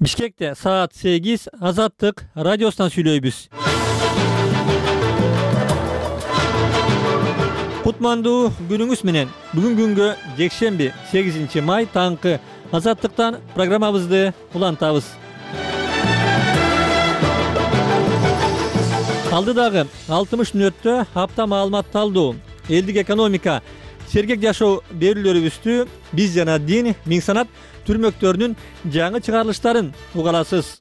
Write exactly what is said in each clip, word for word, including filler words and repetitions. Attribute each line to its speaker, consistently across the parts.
Speaker 1: Бишкекте саат сегиз Азаттык радиосунан сүйлөйбүз. Кутмандуу күнүңүз менен. Бүгүн күнгө жекшемби сегизинчи май таңкы Азаттыктан программабызды улантабыз. Алдыдагы алтымыш мүнөттө апта маалымат талдоо, элдик экономика, сергек жашоо берүүлөрүбүздү биз жана дин, миң санат түрмөктөрүнүн жаңы чыгарылыштарын угаласыз.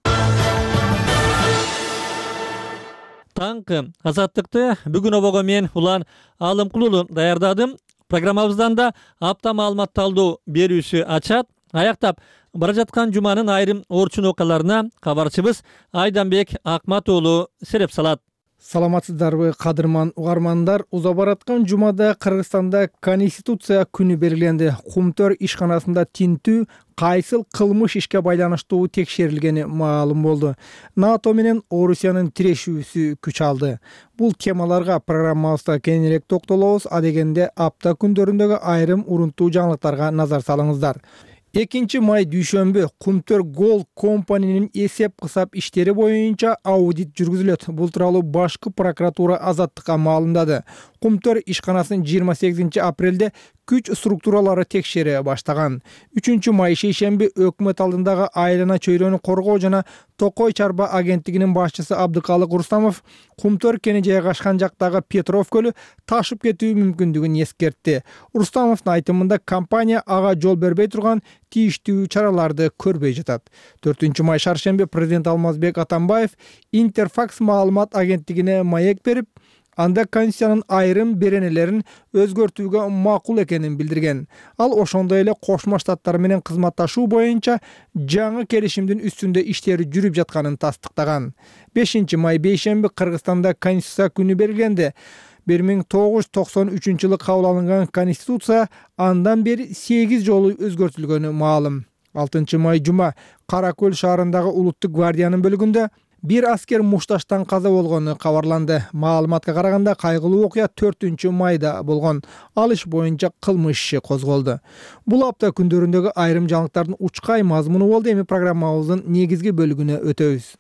Speaker 1: Таңкы Азаттыкты бүгүн обого мен Улан Алымкулуу даярдадым. Программабыздан да апта маалымат талдоо берүүсү ачат. Аяктап бара жаткан жуманын айрым орчун окуяларына кабарчыбыз Айданбек Акматуулу сереп салат.
Speaker 2: Саламатсыздарбы, кадырман угармандар? Уза бараткан жумада Кыргызстанда Конституция күнү белгиленди. Кумтөр ишканасында тинтүү кайсыл кылмыш ишке байланыштуу текшерилгени маалым болду. НАТО менен Орусиянын тирешүүсү күч алды. Бул темаларга программабызда кеңирээк токтолобуз. Адегенде апта күндөрүндөгү айрым урунттуу жаңылыктарга назар салыңыздар. экинчи май дүйшөмбү Кумтөр Gold компаниянын эсеп-кысап иштери боюнча аудит жүргүзүлөт. Бул тууралуу башкы прокуратура Азаттыкка маалымдады. Кумтөр ишканасын жыйырма сегизинчи апрелде күч структуралары текшере баштаган. үчүнчү май шейшемби өкмөт алдындагы айлана чөйрөнү коргоо жана Токой чарба агенттигинин башчысы Абдыкалык Рустамов Кумтөр кени жайгашкан жактагы Петров көлү ташып кетүү мүмкүндүгүн эскертти. Рустамовдун айтымында компания ага жол бербей турган тийиштүү чараларды көрбөй жатат. төртүнчү май шаршемби президент Алмазбек Атамбаев Интерфакс маалымат агенттигине маек берип, анда Конституциянын айрым беренелерин өзгөртүүгө макул экенин билдирген. Ал ошондой эле Кошмо Штаттар менен кызматташуу боюнча жаңы келишимдин үстүндө иштери жүрүп жатканын тастыктаган. бешинчи май бейшемби Кыргызстанда Конституция күнү белгиленди. бир миң тогуз жүз токсон үчүнчү жылы кабыл алынган Конституция андан бери сегиз жолу өзгөртүлгөнү маалым. алтынчы май жума Кара Көл шаарындагы Улуттук гвардиянын бөлүгүндө бир аскер мушташтан каза болгону кабарланды. Маалыматка караганда кайгылуу окуя төртүнчү майда болгон. Ал иш боюнча кылмыш иши козголду. Бул апта күндөрүндөгү айрым жаңылыктардын учкай мазмуну болду. Эми программабыздын негизги бөлүгүнө өтөбүз.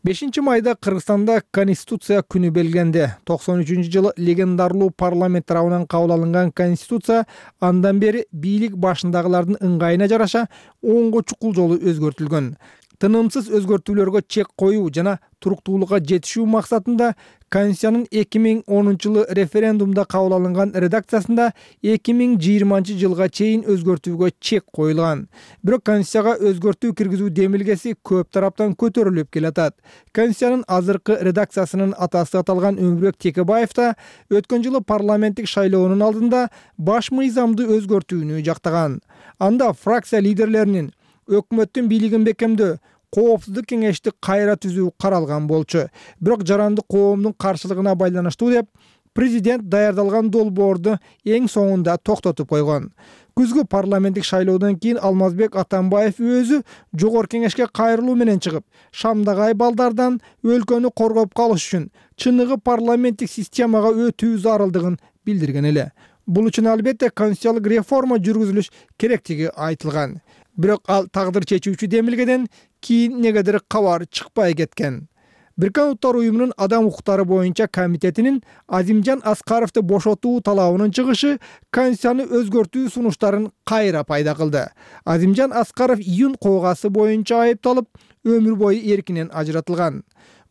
Speaker 2: бешинчи майда Кыргызстанда Конституция күнү белгиленди. токсон үчүнчү жылы легендарлуу парламент тарабынан кабыл алынган Конституция андан бери бийлик башындагылардын ыңгайына жараша оңго чукул жолу өзгөртүлгөн. Тынымсыз өзгөртүүлөргө чек коюу жана туруктуулукка жетишүү максатында Конституциянын эки миң онунчу жылы референдумда кабыл алынган редакциясында эки миң жыйырманчы жылга чейин өзгөртүүгө чек коюлган. Бирок Конституцияга өзгөртүү киргизүү демилгеси көп тараптан көтөрүлүп келатат. Конституциянын азыркы редакциясынын атасы аталган Өмүрбек Текебаев да өткөн жылы парламенттик шайлоонун алдында баш мыйзамды өзгөртүүнү жактаган. Анда фракция лидерлеринин өкмөттүн бийлигин бекемдөө, коопсуздук кеңешти кайра түзүү каралган болчу. Бирок жаранды коомдун каршылыгына байланыштуу деп президент даярдалган долбоорду эң соңунда токтотуп койгон. Күзгү парламенттик шайлоодон кийин Алмазбек Атамбаев өзү жогорку кеңешке кайрылуу менен чыгып, Шамдагай балдардан өлкөнү коргоп калыш үчүн чыныгы парламенттик системага өтүү зарылдыгын билдирген эле. Бул үчүн албетте конституциялык реформа жүргүзүлүш керектиги айтылган. Бирок ал тагдыр чечүүчү демилгеден кийин негедир кабар чыкпай кеткен. Бириккен Уттар уюмунун адам укуктары боюнча комитетинин Азимжан Аскаровду бошотуу талабынын чыгышы Конституцияны өзгөртүү сунуштарын кайра пайда кылды. Азимжан Аскаров июнь коогасы боюнча айыпталып, өмүр бою эркинен ажыратылган.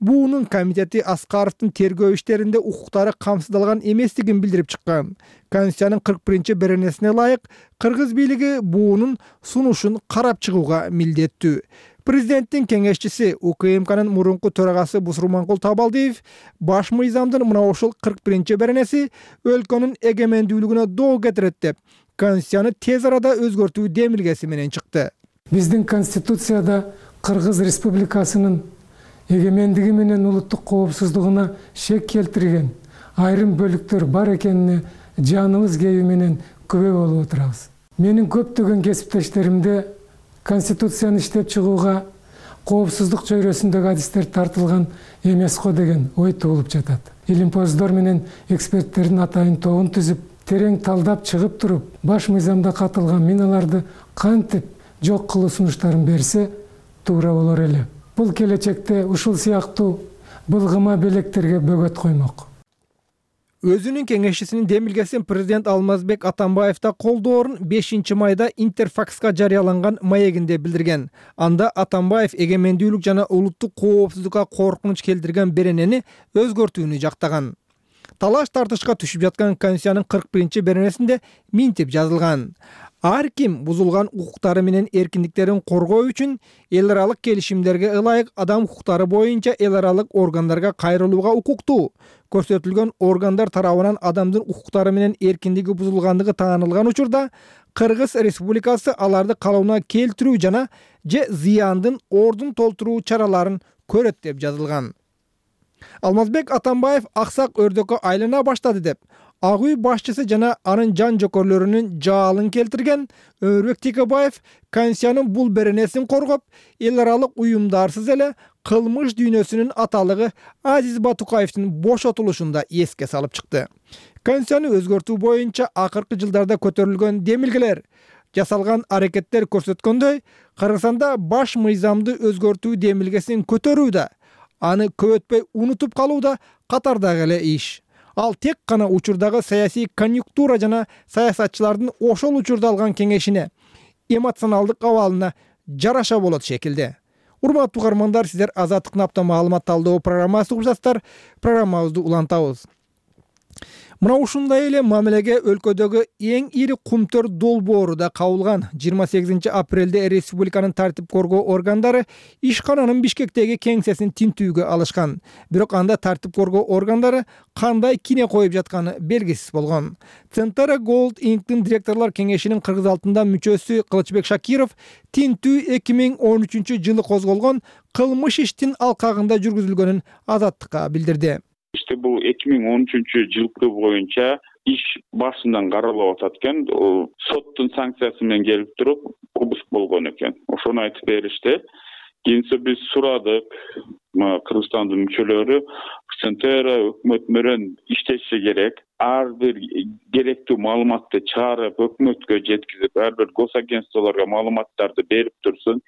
Speaker 2: Буунун комитети Аскаровдун тергөө иштеринде укуктары камсыздалган эместигин билдирип чыккан. Конституциянын кырк биринчи беренесине ылайык Кыргыз бийлиги буунун сунушун карап чыгууга милдеттүү. Президенттин кеңешчиси У К М Кнын мурунку төрагасы Бусурманкул Табалдиев баш мыйзамдын мына ушул кырк биринчи беренеси өлкөнүн эгемендүүлүгүнө доо кетирет деп Конституцияны тез арада өзгөртүү демилгеси менен чыкты.
Speaker 3: Биздин Конституцияда Кыргыз Республикасынын эгемендиги менен улуттук коопсуздугуна шек келтирген айрым бөлүктөр бар экенине жаныбыз кээби менен күбө болуп отурабыз. Менин көптөгөн кесиптештеримде Конституцияны иштеп чыгууга коопсуздук чөйрөсүндөгү адистер тартылган эмес го деген ой туулуп жатат. Илимпоздор менен эксперттердин атайын тобун түзүп, терең талдап чыгып туруп, баш мыйзамда катылган миналарды кантип жок кылуу сунуштарын берсе, туура болор эле. Бул келечекте ушул сыяктуу былгыма белектерге бөгөт коймок.
Speaker 2: Өзүнүн кеңешчисинин демилгесин президент Алмазбек Атамбаевда колдоорун бешинчи майда Интерфакска жарыяланган маегинде билдирген. Анда Атамбаев эгемендүүлүк жана улуттук коопсуздукка коркунуч келтирген беренени өзгөртүүнү жактаган. Талаш тартышка түшүп жаткан Конституциянын кырк биринчи беренесинде минтип жазылган: ар ким бузулган укуктары менен эркиндиктерин коргоо үчүн эл аралык келишимдерге ылайык адам укуктары боюнча эл аралык органдарга кайрылууга укуктуу. Көрсөтүлгөн органдар тарабынан адамдын укуктары менен эркиндиги бузулгандыгы таанылган учурда Кыргыз Республикасы аларды калыбына келтирүү жана же зыяндын ордун толтуруу чараларын көрөт деп жазылган. Алмазбек Атамбаев аксак өрдөккө айлана баштады деп Ак үй башчысы жана анын жан жокөрлөрүнүн жаалын келтирген Өмүрбек Текебаев Конституциянын бул беренесин коргоп, эл аралык уюмдарсыз эле кылмыш дүйнөсүнүн аталыгы Азиз Батукаевдин бошотулушунда эске салып чыкты. Конституцияны өзгөртүү боюнча акыркы жылдарда көтөрүлгөн демилгелер, жасалган аракеттер көрсөткөндөй, Кыргызстанда баш мыйзамды өзгөртүү демилгесин көтөрүү да, аны көп өтпөй унутуп калуу да катардагы эле иш. Ал тек гана учурдагы саясий конъюнктура жана саясатчылардын ошол учурда алган кеңешине, эмоционалдык абалына жараша болот шекилде. Урматтуу угармандар, сиздер Азаттыктын апта маалымат талдоо программасы угуп жатасыздар. Программабызды улантабыз. Мына ушундай эле мамилеге өлкөдөгү эң ири кумтөр долбоору да кабылган. жыйырма сегизинчи апрелде республиканын тартип коргоо органдары ишкананын Бишкектеги кеңсесин тинтүүгө алышкан. Бирок анда тартип коргоо органдары кандай кине коюп жатканы белгисиз болгон. Центара Gold Inc-тин директорлор кеңешинин Кыргыз алтында мүчөсү Кылычбек Шакиров тинтүү эки миң он үчүнчү жылы козголгон кылмыш иштин алкагында жүргүзүлгөнүн Азаттыкка билдирди.
Speaker 4: İşte bu эки миң он үчүнчү жылкы боюнча иш башынан каралып атат экен. Соттун санкциясы менен келип туруп, обыск болгон экен. Ошону айтып беришти. Кийинче биз сурадык, Кыргызстандын мүчөлөрү Центера өкмөт менен иштеши керек. Ар бир керектүү маалыматты чыгарып, өкмөткө жеткизип, ар бир госагентстволорго маалыматтарды берип турсун.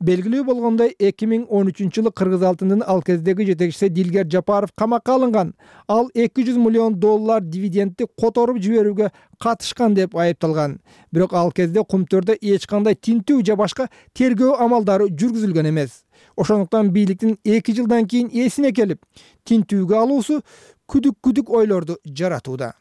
Speaker 2: Белгилүү болгондой, эки миң он үчүнчү жылы Кыргыз алтынын ал кездеги жетекчиси Дилгер Жапаров камакка алынган. Ал эки жүз миллион доллар дивидендти которуп жиберүүгө катышкан деп айыпталган. Бирок ал кезде кумтөрдө эч кандай тинтүү же башка тергөө амалдары жүргүзүлгөн эмес. Ошондуктан бийликтин эки жылдан кийин эсине келип, тинтүүгө алуусу күдүк-күдүк ойлорду жаратууда.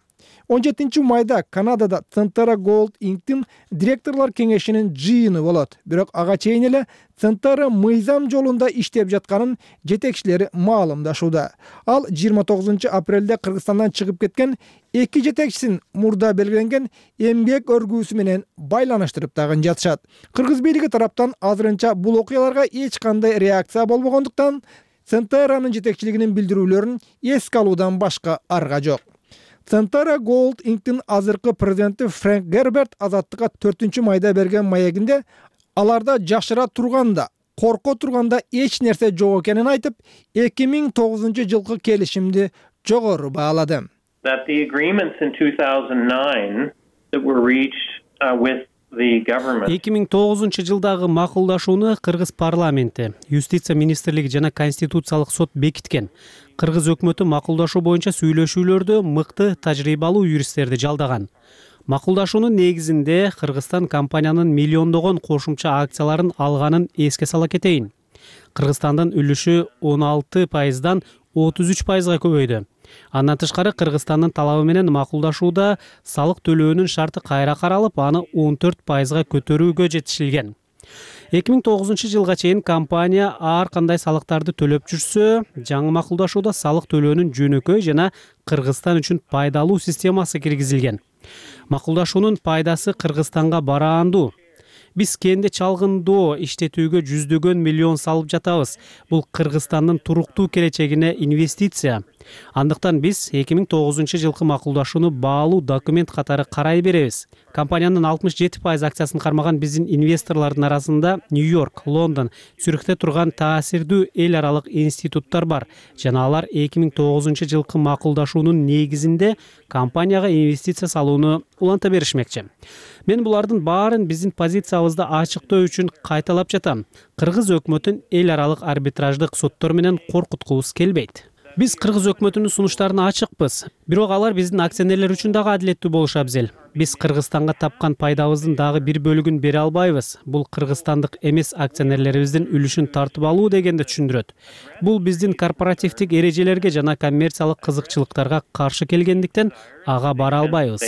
Speaker 2: он жетинчи майда Канадада Центара Gold Inc-тин директорлор кеңешинин жыйыны болот. Бирок ага чейин эле Центара мыйзам жолунда иштеп жатканын жетекчилери маалымдашууда. Ал жыйырма тогузунчу апрелде Кыргызстандан чыгып кеткен эки жетекчисин мурда белгиленген эмгек өргүүсү менен байланыштырып дагы жатышат. Кыргыз бийлиги тараптан азырынча бул окуяларга эч кандай реакция болбогондуктан Центаранын жетекчилигинин билдирүүлөрүн эске алуудан башка арга жок. Центара Gold Inc-тин азыркы президенти Фрэнк Герберт Азаттыкка төртүнчү майда берген маегинде аларда жашыра турганда, корко турганда эч нерсе жок экенин айтып, эки миң тогузунчу жылкы келишимди жогору баалады.
Speaker 5: That the agreements in two thousand nine that were reached uh, with
Speaker 6: эки миң тогузунчу жылдагы макулдашууну Кыргыз парламенти, Юстиция министрлиги жана Конституциялык сот бекиткен. Кыргыз өкмөтү макулдашуу боюнча сүйлөшүүлөрдө мыкты тажрыйбалуу юристтерди жалдаган. Макулдашуунун негизинде Кыргызстан компаниянын миллиондогон кошумча акцияларын алганын эске сала кетейин. Кыргызстандын үлүшү он алты пайыздан отуз үч пайызга көбөйдү. Андан тышкары Кыргызстандын талабы менен макулдашууда салык төлөөнүн шарты кайра каралып, аны он төрт пайызга көтөрүүгө жетишилген. эки миң тогузунчу жылга чейин компания ар кандай салыктарды төлөп жүрсө, жаңы макулдашууда салык төлөөнүн жөнөкөй жана Кыргызстан үчүн пайдалуу системасы киргизилген. Макулдашуунун пайдасы Кыргызстанга бараандуу. Биз кенде чалгындоо иштетүүгө жүздөгөн миллион салып жатабыз. Бул Кыргызстандын туруктуу келечегине инвестиция. Андыктан биз эки миң тогузунчу жылкы макулдашууну баалуу документ катары карай беребиз. Компаниянын алтымыш жети пайыз акциясын кармаган биздин инвесторлордун арасында Нью-Йорк, Лондон, Цюрихте турган таасирдүү эл аралык институттар бар. Жана алар эки миң тогузунчу жылкы макулдашуунун негизинде компанияга инвестиция салууну уланта беришмекчи. Мен булардын баарын биздин позициябызды ачыктоо үчүн кайталап жатам. Кыргыз өкмөтүн эл аралык арбитраждык соттор менен коркуткубуз келбейт. Биз кыргыз өкмөтүнүн сунуштарына ачыкпыз, бирок алар биздин акционерлер үчүн дагы адилеттүү болушу абзел. Биз Кыргызстанга тапкан пайдабыздын дагы бир бөлүгүн бере албайбыз. Бул кыргызстандык эмес акционерлерибиздин үлүшүн тартып алуу дегенди түшүндүрөт. Бул биздин корпоративдик эрежелерге жана коммерциялык кызыкчылыктарга каршы келгендиктен ага бара албайбыз.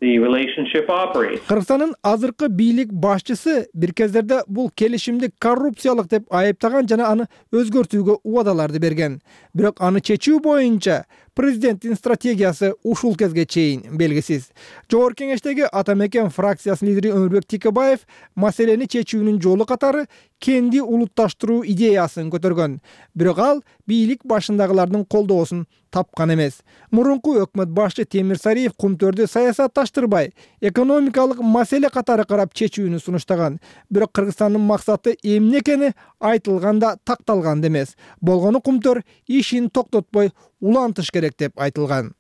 Speaker 2: Кыргызстандын азыркы бийлик башчысы бир кездерде бул келишимди коррупциялык деп айыптаган жана аны өзгөртүүгө убадаларды берген. Бирок аны чечүү боюнча президенттин стратегиясы ушул кезге чейин белгисиз. Жогорку Кеңештеги Ата Мекен фракциясынын лидери Өмүрбек Текебаев маселени чечүүнүн жолу катары кенди улутташтыруу идеясын көтөргөн. Бирок ал бийлик башындагылардын колдоосун тапкан эмес. Мурунку өкмөт башчы Темир Сариев кумтөрдү саясатташтырбай, экономикалык маселе катары карап чечүүнү сунуштаган. Бирок Кыргызстандын максаты эмне экени айтылганда такталган эмес. Болгону кумтөр ишин токтотпой улантыш керек деп айтылган.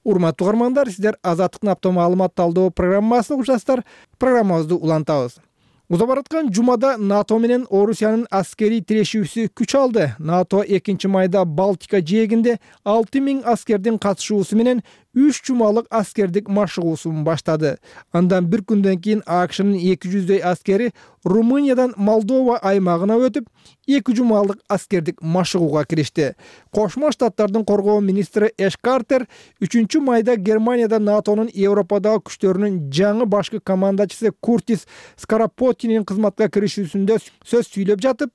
Speaker 2: Урматтуу угармандар, сиздер Азаттыктын апта маалымат талдоо программасына угушасыздар. Программабызды улантабыз. Уза бараткан жумада НАТО менен Орусиянын аскерий тирешүүсү күч алды. НАТО экинчи майда Балтика жээгинде алты миң аскердин катышуусу менен үч жумалык аскердик машыгуусун баштады. Андан бир күндөн кийин АКШнын эки жүздөй аскери Румыниядан Молдова аймагына өтүп, эки жумалык аскердик машыгууга киришти. Кошмо Штаттардын коргоо министри Эш Картер үчүнчү майда Германияда НАТОнун Европадагы күчтөрүнүн жаңы башкы командачысы Куртис Скарапоттинин кызматка киришүүсүндө сөз сүйлөп жатып,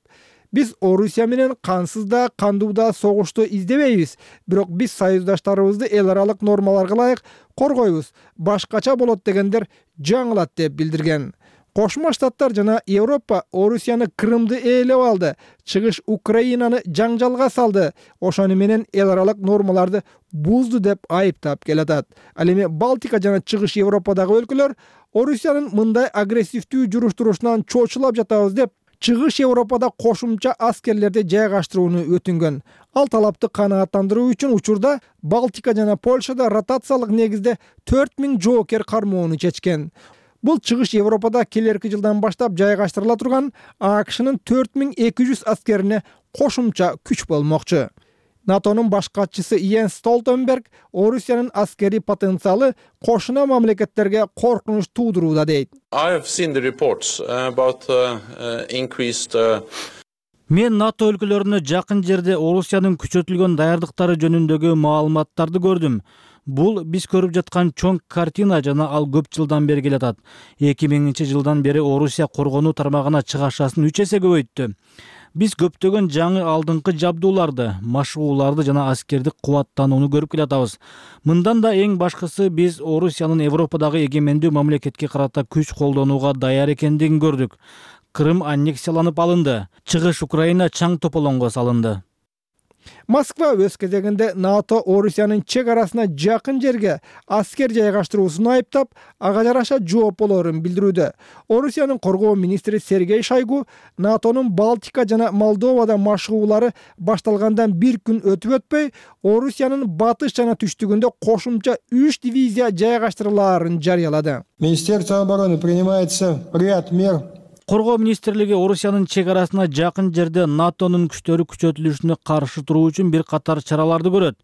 Speaker 2: биз Орусия менен кансыз да, кандуу да согушту издебейбиз, бирок биз союздаштарыбызды эл аралык нормаларга ылайык коргойбуз. Башкача болот дегендер жаңылат деп билдирген. Кошмо Штаттар жана Европа Орусияны Крымды ээлеп алды, чыгыш Украинаны жаңжалга салды, ошону менен эл аралык нормаларды бузду деп айыптап келатат. Ал эми Балтика жана чыгыш Европадагы өлкөлөр Орусиянын мындай агрессивдүү журуштурушунан чочулап жатабыз деп чыгыш Европада кошумча аскерлерди жайгаштырууну өтүнгөн. Ал талапты канааттандыруу үчүн учурда Балтика жана Польшада ротациялык негизде төрт миң жоокер кармоону чечкен. Бул чыгыш Европада келерки жылдан баштап жайгаштырыла турган АКШнын төрт миң эки жүз аскерине кошумча күч болмокчу. НАТОнун баш катчысы Йенс Столтенберг Орусиянын аскерий потенциалы кошуна мамлекеттерге коркунуч туудурууда дейт.
Speaker 7: Мен НАТО өлкөлөрүнө жакын жерде Орусиянын күчөтүлгөн даярдыктары жөнүндөгү маалыматтарды көрдүм. Бул биз көрүп жаткан чоң картина жана ал көп жылдан бери келатат. эки миңинчи жылдан бери Орусия коргонуу тармагына чыгашасын үч эсе көбөйттү. Биз көптөгөн жаңы алдыңкы жабдууларды, машыгууларды жана аскердик кубаттанууну көрүп келатабыз. Мындан да эң башкысы биз Орусиянын Европадагы эгемендүү мамлекетке карата күч колдонууга даяр экендигин көрдүк. Крым аннексияланып алынды. Чыгыш Украина чаң тополоңго салынды.
Speaker 2: Москва өз кезегинде НАТО Орусиянын чек арасына жакын жерге аскер жайгаштыруусун айыптап, ага жараша жооп болорун билдирүүдө. Орусиянын коргоо министри Сергей Шойгу НАТОнун Балтика жана Молдовада машыгуулары башталгандан бир күн өтүп өтпөй, Орусиянын батыш жана түштүгүндө кошумча үч дивизия жайгаштырылаарын жарыялады.
Speaker 8: Министерство обороны принимается ряд мер.
Speaker 7: Коргоо министрлиги Орусиянын чек арасына жакын жерде НАТОнун күчтөрү күчөтүлүшүнө каршы туруу үчүн бир катар чараларды көрөт.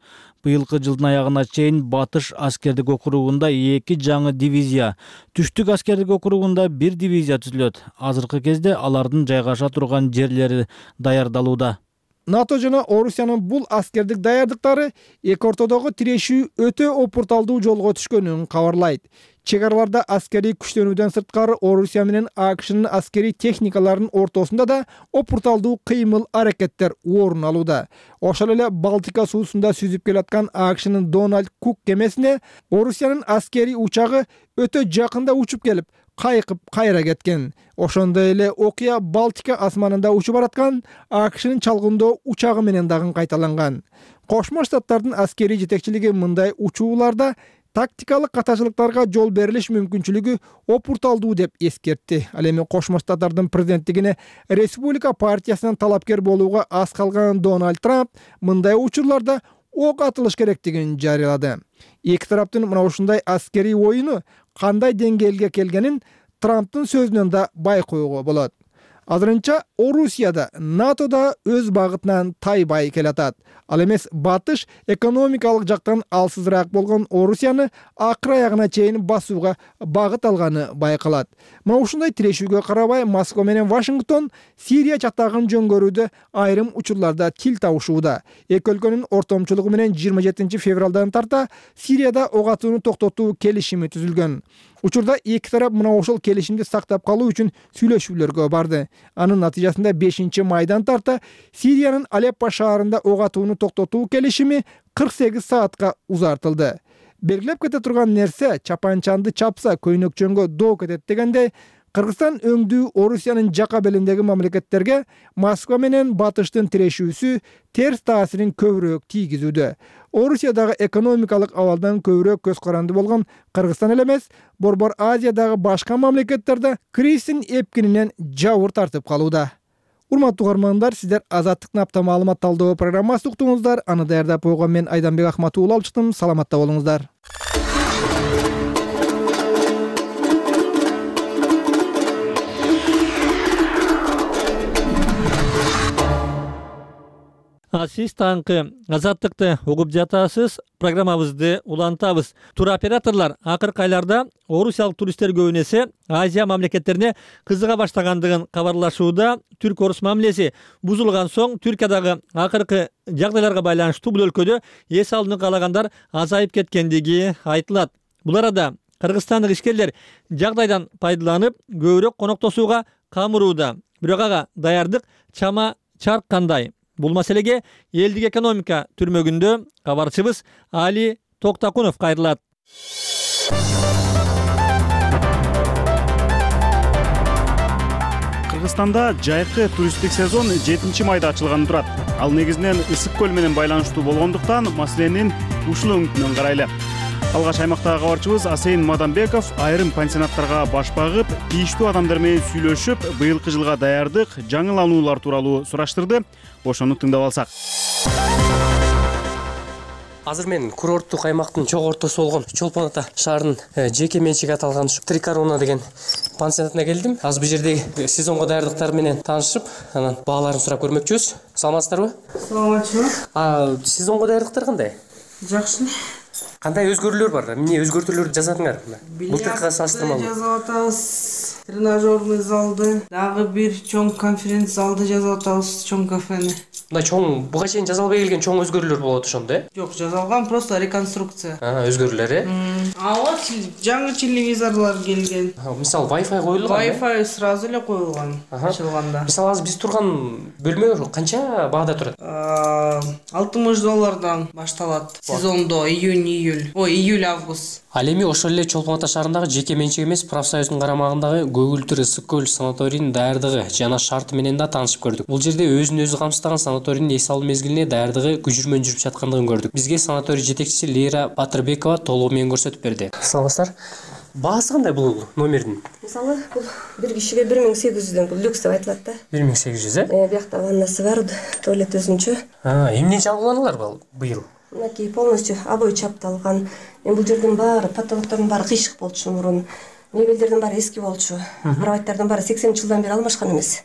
Speaker 7: Быйылкы жылдын аягына чейин Батыш аскердик округунда эки жаңы дивизия, Түштүк аскердик округунда бир дивизия түзүлөт. Азыркы кезде алардын жайгаша турган жерлери даярдалууда.
Speaker 2: НАТО жана Орусиянын бул аскердик даярдыктары эки ортодогу тирешүү өтө опурталдуу жолго түшкөнүн кабарлайт. Чек араларда аскерий күчтөнүүдөн сырткары Орусия менен АКШнын аскерий техникаларынын ортосунда да опурталдуу кыймыл аракеттер орун алууда. Ошол эле Балтика суусунда сүзүп келаткан АКШнын Дональд Кук кемесине Орусиянын аскерий учагы өтө жакында учуп келип, кайкып кайра кеткен. Ошондой эле окуя Балтика асманында учуп бараткан АКШнын чалгындоо учагы менен дагы кайталанган. Кошмо Штаттардын аскерий жетекчилиги мындай учууларда тактикалык катачылыктарга жол берилиш мүмкүнчүлүгү опурталдуу деп эскертти. Ал эми Кошмо Штаттардын президенттигине Республика партиясынан талапкер болууга аз калган Дональд Трамп мындай учурларда ок атылыш керектигин жарыялады. Эки тараптын мына ушундай аскерий оюну кандай деңгээлге келгенин Трамптын сөзүнөн да байкоого болот. Азырынча Орусия да НАТО да өз багытынан тайбай келатат. Ал эмес батыш экономикалык жактан алсызыраак болгон Орусияны акыр аягына чейин басууга багыт алганы байкалат. Мына ушундай тирешүүгө карабай Москва менен Вашингтон Сирия чатагын жөнгөрүүдө айрым учурларда тил табышууда. Эки өлкөнүн ортомчулугу менен жыйырма жетинчи февралдан тарта Сирияда ок атууну токтотуу келишими түзүлгөн. Учурда эки тарап мына ошол келишимди сактап калуу үчүн сүйлөшүүлөргө барды. Анын натыйжасында бешинчи майдан тарта Сириянын Алеппо шаарында ок атууну токтотуу келишими кырк сегиз саатка узартылды. Белгилеп кете турган нерсе чапанчанды чапса көйнөкчөнгө доо кетет дегенде Кыргызстан өңдүү Орусиянын жака белиндеги мамлекеттерге Москва менен батыштын тирешүүсү терс таасирин көбүрөөк тийгизүүдө. Орусиядагы экономикалык абалдан көбүрөөк көз каранды болгон Кыргызстан эле эмес, Борбор Азиядагы башка мамлекеттерде кризистин эпкининен жабыр тартып калууда. Урматтуу угармандар, сиздер Азаттыктын апта маалымат талдоо программасын уктуңуздар. Аны даярдап койгон мен Айданбек Ахматов уулу алып чыктым. Саламатта болуңуздар.
Speaker 1: Сиз таңкы Азаттыкты угуп жатасыз. Программабызды улантабыз. Туроператорлор акыркы айларда орусиялык туристтер көбүн эсе Азия мамлекеттерине кызыга баштагандыгын кабарлашууда. Түрк-орус мамилеси бузулган соң Түркиядагы акыркы жагдайларга байланыштуу бул өлкөдө эс алууну каалагандар азайып кеткендиги айтылат. Бул арада кыргызстандык ишкерлер жагдайдан пайдаланып көбүрөөк коноктосууга камырууда. Бирок ага даярдык чама чарк кандай? Бул маселеге элдик экономика түрмөгүндө кабарчыбыз Али Токтакунов кайрылат.
Speaker 9: Кыргызстанда жайкы туристтик сезон жетинчи майда ачылганы турат. Ал негизинен ысык көл менен байланыштуу болгондуктан маселенин ушул өңүтүнөн карайлы. Алгач аймактагы кабарчыбыз Асейин Мадамбеков айрым пансионаттарга баш багып, тийиштүү адамдар менен сүйлөшүп, быйылкы жылга даярдык, жаңылануулар тууралуу сураштырды. Ошону тыңдап алсак.
Speaker 10: Азыр мен курорттук аймактын чоң ортосу болгон Чолпон Ата шаарынын жеке менчиге аталган Три Корона деген пансионатына келдим. Азыр бул жердеги сезонго даярдыктар менен таанышып, анан бааларын сурап көрмөкчүбүз. Саламатсыздарбы?
Speaker 11: Саламатчылык.
Speaker 10: А сезонго даярдыктар кандай?
Speaker 11: Жакшы.
Speaker 10: Кандай өзгөрүүлөр бар? Эмне өзгөртүүлөрдү жасадыңар? Былтыркыга салыштырмалуу.
Speaker 11: Жасап атабыз. Тренажерный залды, дагы бир чоң конференц залды жасап атабыз, чоң кафени.
Speaker 10: Мындай чоң, буга чейин жасалбай келген чоң өзгөрүүлөр болот ошондо, э?
Speaker 11: Жок, жасалган, просто реконструкция.
Speaker 10: А, өзгөрүүлөр, э?
Speaker 11: Ага, жаңы телевизорлор келген.
Speaker 10: Мисалы, Wi-Fi коюлган.
Speaker 11: Wi-Fi сразу эле коюлган ачылганда.
Speaker 10: Мисалы, азыр биз турган бөлмө канча баада турат?
Speaker 11: алтымыш доллардан башталат. Сезондо июнь-июль, ой, июль-август.
Speaker 10: Ал эми ошол эле Чолпон Ата шаарындагы жеке менчик эмес профсоюздун карамагындагы Көгүлтүр ысык көл санаторийинин даярдыгы жана шарты менен да таанышып көрдүк. Бул жерде өзүн өзү камсыздаган санаторийдин эс алуу мезгилине даярдыгы күжүрмөн жүрүп жаткандыгын көрдүк. Бизге санаторий жетекчиси Лейра Батырбекова толугу менен көрсөтүп берди. Саламатсыздар. Баасы кандай бул номердин?
Speaker 12: Мисалы, бул бир кишиге бир миң сегиз жүздөн, бул люкс деп айтылат да.
Speaker 10: бир миң сегиз жүз, э?
Speaker 12: Э, биякта ваннасы бар, туалет өзүнчө.
Speaker 10: А, эмне жаңыланулар бар быйыл?
Speaker 12: Мынакей полностью обой чапталган. Эми бул жердин баары, потолоктордун баары кыйшык болчу мурун. Мебелдердин баары эски болчу. Кроваттардын баары сексенинчи жылдан бери алмашкан эмес.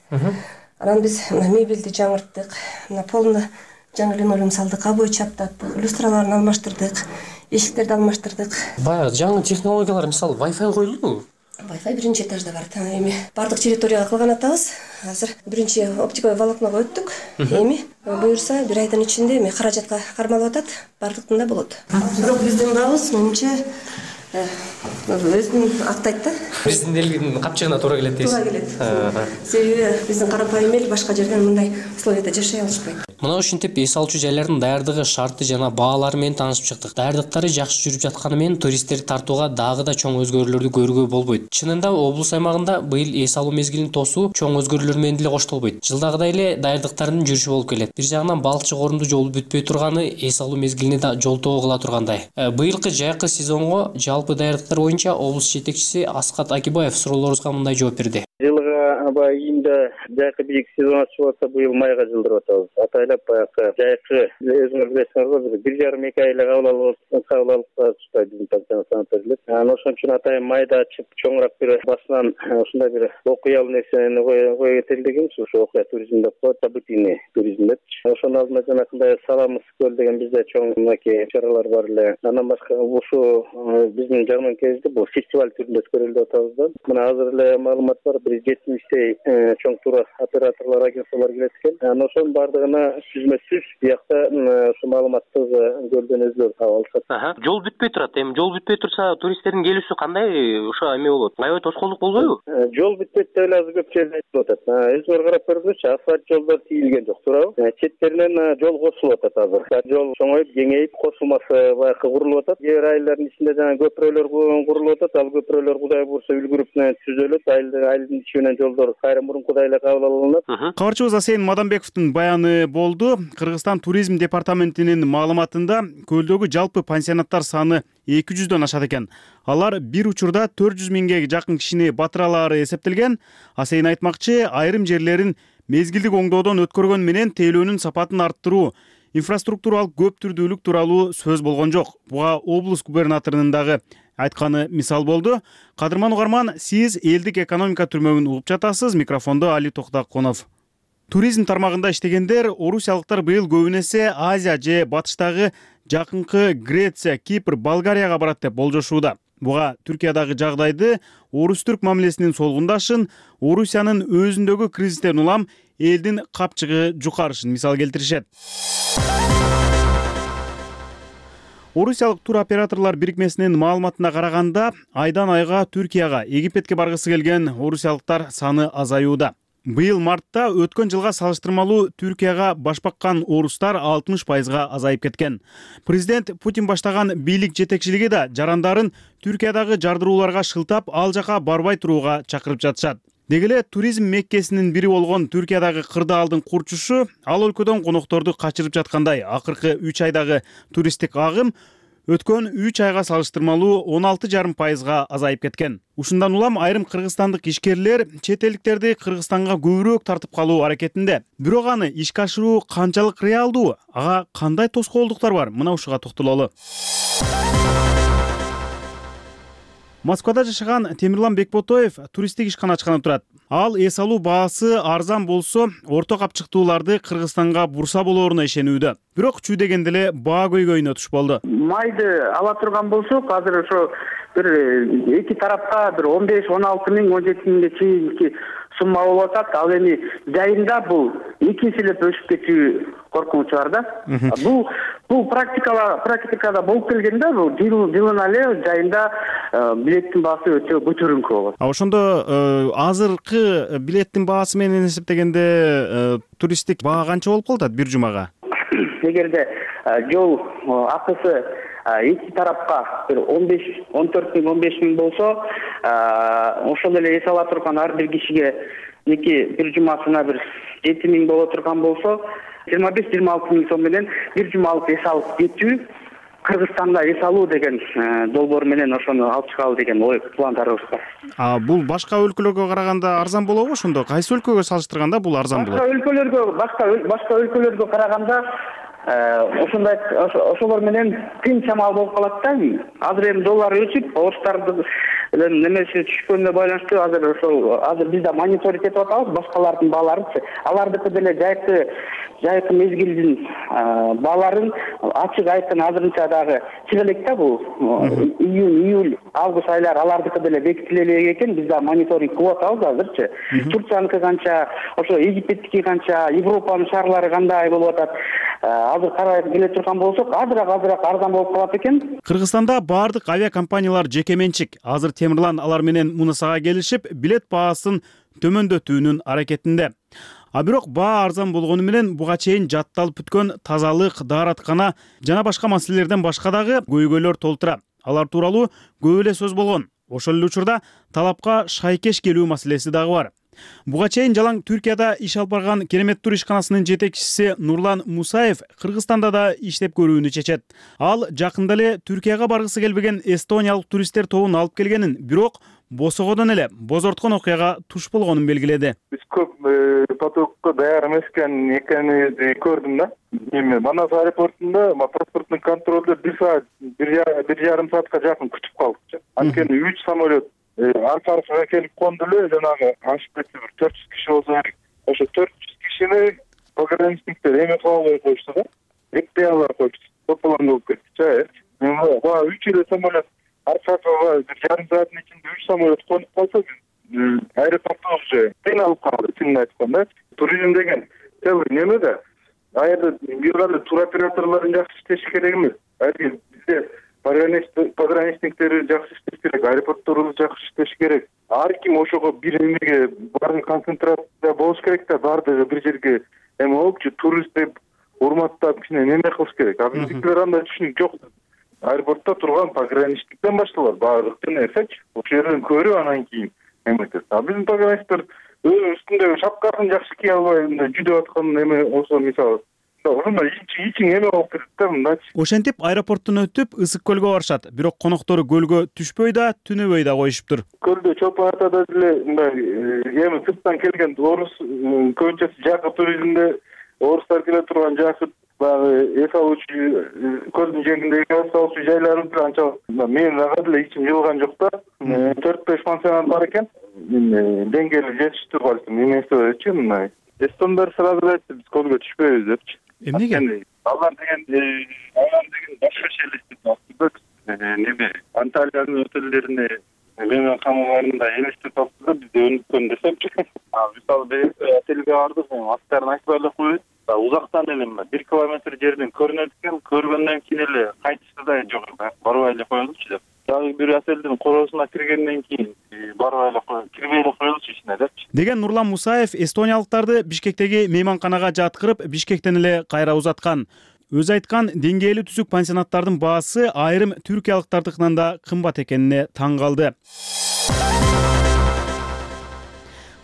Speaker 12: Анан биз мебелди жаңырттык. Мына полуна жаңы линолеум салдык, обой чаптаттык, люстраларын алмаштырдык, эшиктерди алмаштырдык.
Speaker 10: Баягы жаңы технологиялар, мисалы, Wi-Fi коюлдубу?
Speaker 12: Wi-Fi биринчи этажда бар. Эми бардык территорияга кылган атабыз. Азыр биринчи оптиковый волокного өттүк. Эми буюрса бир айдын ичинде эми каражатка кармалып атат, бардыктын да болот. Бирок биздин бабыз менимче өзүн актайт да.
Speaker 10: Биздин элдин капчыгына туура келет дейсиз.
Speaker 12: Туура келет. Себеби биздин карапайым эл башка жерден мындай условияда жашай алышпайт.
Speaker 10: Мына ушинтип эс алуучу жайлардын даярдыгы, шарты жана баалары менен таанышып чыктык. Даярдыктары жакшы жүрүп жатканы менен туристтерди тартууга дагы да чоң өзгөрүүлөрдү көрүүгө болбойт. Чынында облус аймагында быйыл эс алуу мезгилин тосуу чоң өзгөрүүлөр менен деле коштолбойт. Жылдагыдай эле даярдыктардын жүрүшү болуп келет. Бир жагынан балчык орунду жолу бүтпөй турганы эс алуу мезгилине да жолтоо кыла тургандай. Быйылкы жайкы сезонго жалпы жалпы даярдыктар боюнча облус жетекчиси Аскат Акибаев суроолорубузга мындай жооп берди.
Speaker 13: Жылга аба июнда жайкы бийик сезон ачып атса, быйыл майга жылдырып атабыз. Атайлап баягы жайкы өзүңөр билесиңер, бир жарым эки айлык кабыл алып кабыл алып чыкпайт биздин пансионат санаторийлер. Анан ошон үчүн атайын майда ачып чоңураак бир басынан ушундай бир окуялуу нерсени кое кетелдегенбиз. Ошо окуя туризм деп коет, событийный туризм деп. Ошонун алдында жанакындай Саламыс көл деген бизде чоң мынакей чаралар бар эле. Андан башка ушу биздин жарманкебизде бул фестиваль түрүндө өткөрүлүп атабыз да. Мына азыр эле маалымат бар, бир жетимиштей чоң тур операторлор, агентстволор келет экен. Анан ошонун баардыгына сүзмө-сүз биякта ушу маалыматты көлдөн өзүлөр таап алышат.
Speaker 14: Жол бүтпөй турат. Эми жол бүтпөй турса, туристтердин келүүсү кандай ошо эме болот? Аябай тоскоолдук болбойбу?
Speaker 13: Жол бүтпөйт деп эле азыр көп жерде айтылып атат. Өзүңөр карап көрүңүзчү, асфальт жолдор тийилген жок, туурабы? Четтеринен жол кошулуп атат азыр. Жол чоңоюп, кеңейип, кошулмасы баягы курулуп атат. Жер айылдардын ичинде жана көпүрөлөр курулуп атат. Ал көпүрөлөр Кудай буйрса үлгүрүп түзөлөт. Айылдын ичинен жолдор кайра мурункудай эле кабыл алынат.
Speaker 9: Кабарчыбыз Асейин Мадамбековдун баяны болду. Кыргызстан туризм департаментинин маалыматында көлдөгү жалпы пансионаттар саны эки жүздөн ашат экен. Алар бир учурда төрт жүз миңге жакын кишини батыра алаары эсептелген. Асейин айтмакчы, айрым жерлерин мезгилдик оңдоодон өткөргөн менен тейлөөнүн сапатын арттыруу, инфраструктуралык көп түрдүүлүк тууралуу сөз болгон жок. Буга облус губернаторунун дагы айтканы мисал болду. Кадырман угарман, сиз элдик экономика түрмөгүн угуп жатасыз. Микрофондо Али Токтаконов. Туризм тармагында иштегендер орусиялыктар быйыл көбүн эсе Азия же батыштагы жакынкы Греция, Кипр, Болгарияга барат деп болжошууда. Буга Түркиядагы жагдайды, орус-түрк мамилесинин солгундашын, Орусиянын өзүндөгү кризистен улам элдин капчыгы жукарышын мисал келтиришет. Орусиялык тур операторлор бирикмесинин маалыматына караганда, айдан айга Түркияга, Египетке баргысы келген орусиялыктар саны азаюуда. Быйыл мартта өткөн жылга салыштырмалуу Түркияга баш баккан орустар алтымыш пайызга азайып кеткен. Президент Путин баштаган бийлик жетекчилиги да жарандарын Түркиядагы жардырууларга шылтап, ал жака барбай турууга чакырып жатышат. Деги эле туризм меккесинин бири болгон Түркиядагы кырдаалдын курчушу ал өлкөдөн конокторду качырып жаткандай. Акыркы үч айдагы туристтик агым өткөн үч айга салыштырмалуу он алты жарым пайызга азайып кеткен. Ушундан улам айрым кыргызстандык ишкерлер чет элдиктерди Кыргызстанга көбүрөөк тартып калуу аракетинде. Бирок аны ишке ашыруу канчалык реалдуу? Ага кандай тоскоолдуктар бар? Мына ушуга токтололу. Москвада жашаган Темирлан Бекботоев туристтик ишкана ачканы турат. Ал эс алуу баасы арзан болсо, орто капчыктууларды Кыргызстанга бурса болоруна ишенүүдө. Бирок чүй дегенде эле баа көйгөйүнө туш болду.
Speaker 15: Майды ала турган болсок, азыр ошо бир эки тарапка бир он беш он алты миң он жети миңге чейинки сумма болуп атат. Ал эми жайында бул эки эселеп өсүп кетүү коркунучу бар да. Бул бул практикала практикада болуп келген да, бул жылына эле жайында билеттин баасы өтө көтөрүңкү болот.
Speaker 9: А ошондо азыркы билеттин баасы менен эсептегенде туристтик баа канча болуп калат бир жумага?
Speaker 15: Эгерде жол акысы эки тарапка бир он беш он төрт миң он беш миң болсо, ошол эле эс ала турган ар бир кишиге эки бир жумасына бир жети миң боло турган болсо, жыйырма беш жыйырма алты миң сом менен бир жумалык эс алып кетүү, Кыргызстанда эс алуу деген долбоор менен ошону алып чыгалы деген ой пландарыбыз бар.
Speaker 9: А бул башка өлкөлөргө караганда арзан болобу ошондо? Кайсы өлкөгө салыштырганда бул арзан болот?
Speaker 15: Башка өлкөлөргө, башка башка өлкөлөргө караганда ошондой ошолор менен кыйын чамал болуп калат да. Азыр эми доллар өсүп, орустардын немеси түшкөнүнө байланыштуу азыр ошол азыр бизде мониторинг этип атабыз башкалардын бааларынчы. Алардыкы деле жайкы жайкы мезгилдин бааларын ачык айткан азырынча дагы чыга элек да, бул июнь, июль, август айлары алардыкы деле бекитиле элек экен. Биз да мониторинг кылып атабыз азырчы. Турцияныкы канча, ошо Египеттики канча, Европанын шаарлары кандай болуп атат? Азыр карап келе турган болсок, азыраак азыраак арзан болуп калат экен.
Speaker 9: Кыргызстанда баардык авиакомпаниялар жеке менчик. Азыр Темирлан алар менен мунусага келишип, билет баасын төмөндөтүүнүн аракетинде. А бирок баа арзан болгону менен буга чейин жатталып бүткөн тазалык, даараткана жана башка маселелерден башка дагы көйгөйлөр толтура. Алар тууралуу көп эле сөз болгон. Ошол эле учурда талапка шайкеш келүү маселеси дагы бар. Буга чейин жалаң Түркияда иш алып барган Керемет тур ишканасынын жетекчиси Нурлан Мусаев Кыргызстанда да иштеп көрүүнү чечет. Ал жакында эле Түркияга баргысы келбеген эстониялык туристтер тобун алып келгенин, бирок босогодон эле бозорткон окуяга туш болгонун белгиледи.
Speaker 16: Биз көп потокко даяр эмес экенин көрдүм да. Эми Манас аэропортунда паспорттун контролдо бир саат, бир жарым саатка жакын күтүп калдык. Анткени үч самолет арка-аркага келип конду эле, жанагы ашып кетти, бир төрт жүз киши болсо керек. Ошо төрт жүз кишини пограничниктер эме кыла албай коюшту да. Экпей албай коюшту. Тополоң болуп кетти. Эми баа үч эле самолет аркага бир жарым сааттын ичинде үч самолет конуп калса, аэропортто уже кыйналып калды, чынын айтканда. Туризм деген целый неме да. Аерде бир кандай туроператорлордун жакшы иштеши керек эмес. Айры бизде пограничниктери жакшы иштеш керек, аэропортторубуз жакшы иштеш керек. Ар ким ошого бир эмеге баарын концентрация болуш керек да, баардыгы бир жерге эме болупчу, турист деп урматтап кичине неме кылыш керек. А биздикилер андай түшүнүк жок. Аэропортто турган пограничниктен башталат баардык нерсечи. Ошол жерден көрүп анан кийин эметет. А биздин пограничниктер үстүндөгү шапкасын жакшы кие албай жүдөп аткан эме болсо, мисалы ошондой ичиң эме болуп кетет да мындачы.
Speaker 9: Ошентип аэропорттон өтүп Ысык көлгө барышат. Бирок коноктору көлгө түшпөй да, түнөбөй да коюшуптур.
Speaker 16: Көлдө чолпон атада деле мындай эми сырттан келген орус көбүнчөсү жакы туризмде орустар келе турган жакы баягы эс алуучу көлдүн жээгиндеги эс алуучу жайлар анча менин ага деле ичим жылган жок да. төрт беш пансионат бар экен. Деңгээли жетиштир балким, эмесечи мындай. Эстондар сразу эле айтты, биз көлгө түшпөйбүз депчи.
Speaker 9: Эмнеге?
Speaker 16: Алар деген алар деген башкача элестетип неме Анталиянын отелдерине менен камаларында элестетип алды да, бизде өнүккөн десемчи. Мисалы биз отелге бардык, аттарын айтпай эле коюп, узактан эле бир километр жерден көрүнөт экен, көргөндөн кийин эле кайтышты да жок, барбай эле коелучу деп. Дагы бир отелдин короосуна киргенден кийин барбай эле коюп, кирбей эле коелучу ичине депчи.
Speaker 9: Деген Нурлан Мусаев эстониялыктарды Бишкектеги мейманканага жаткырып, Бишкектен эле кайра узаткан. Өзү айткан деңгээлүү түзүк пансионаттардын баасы айрым түркиялыктардыкынан да кымбат экенине таң калды.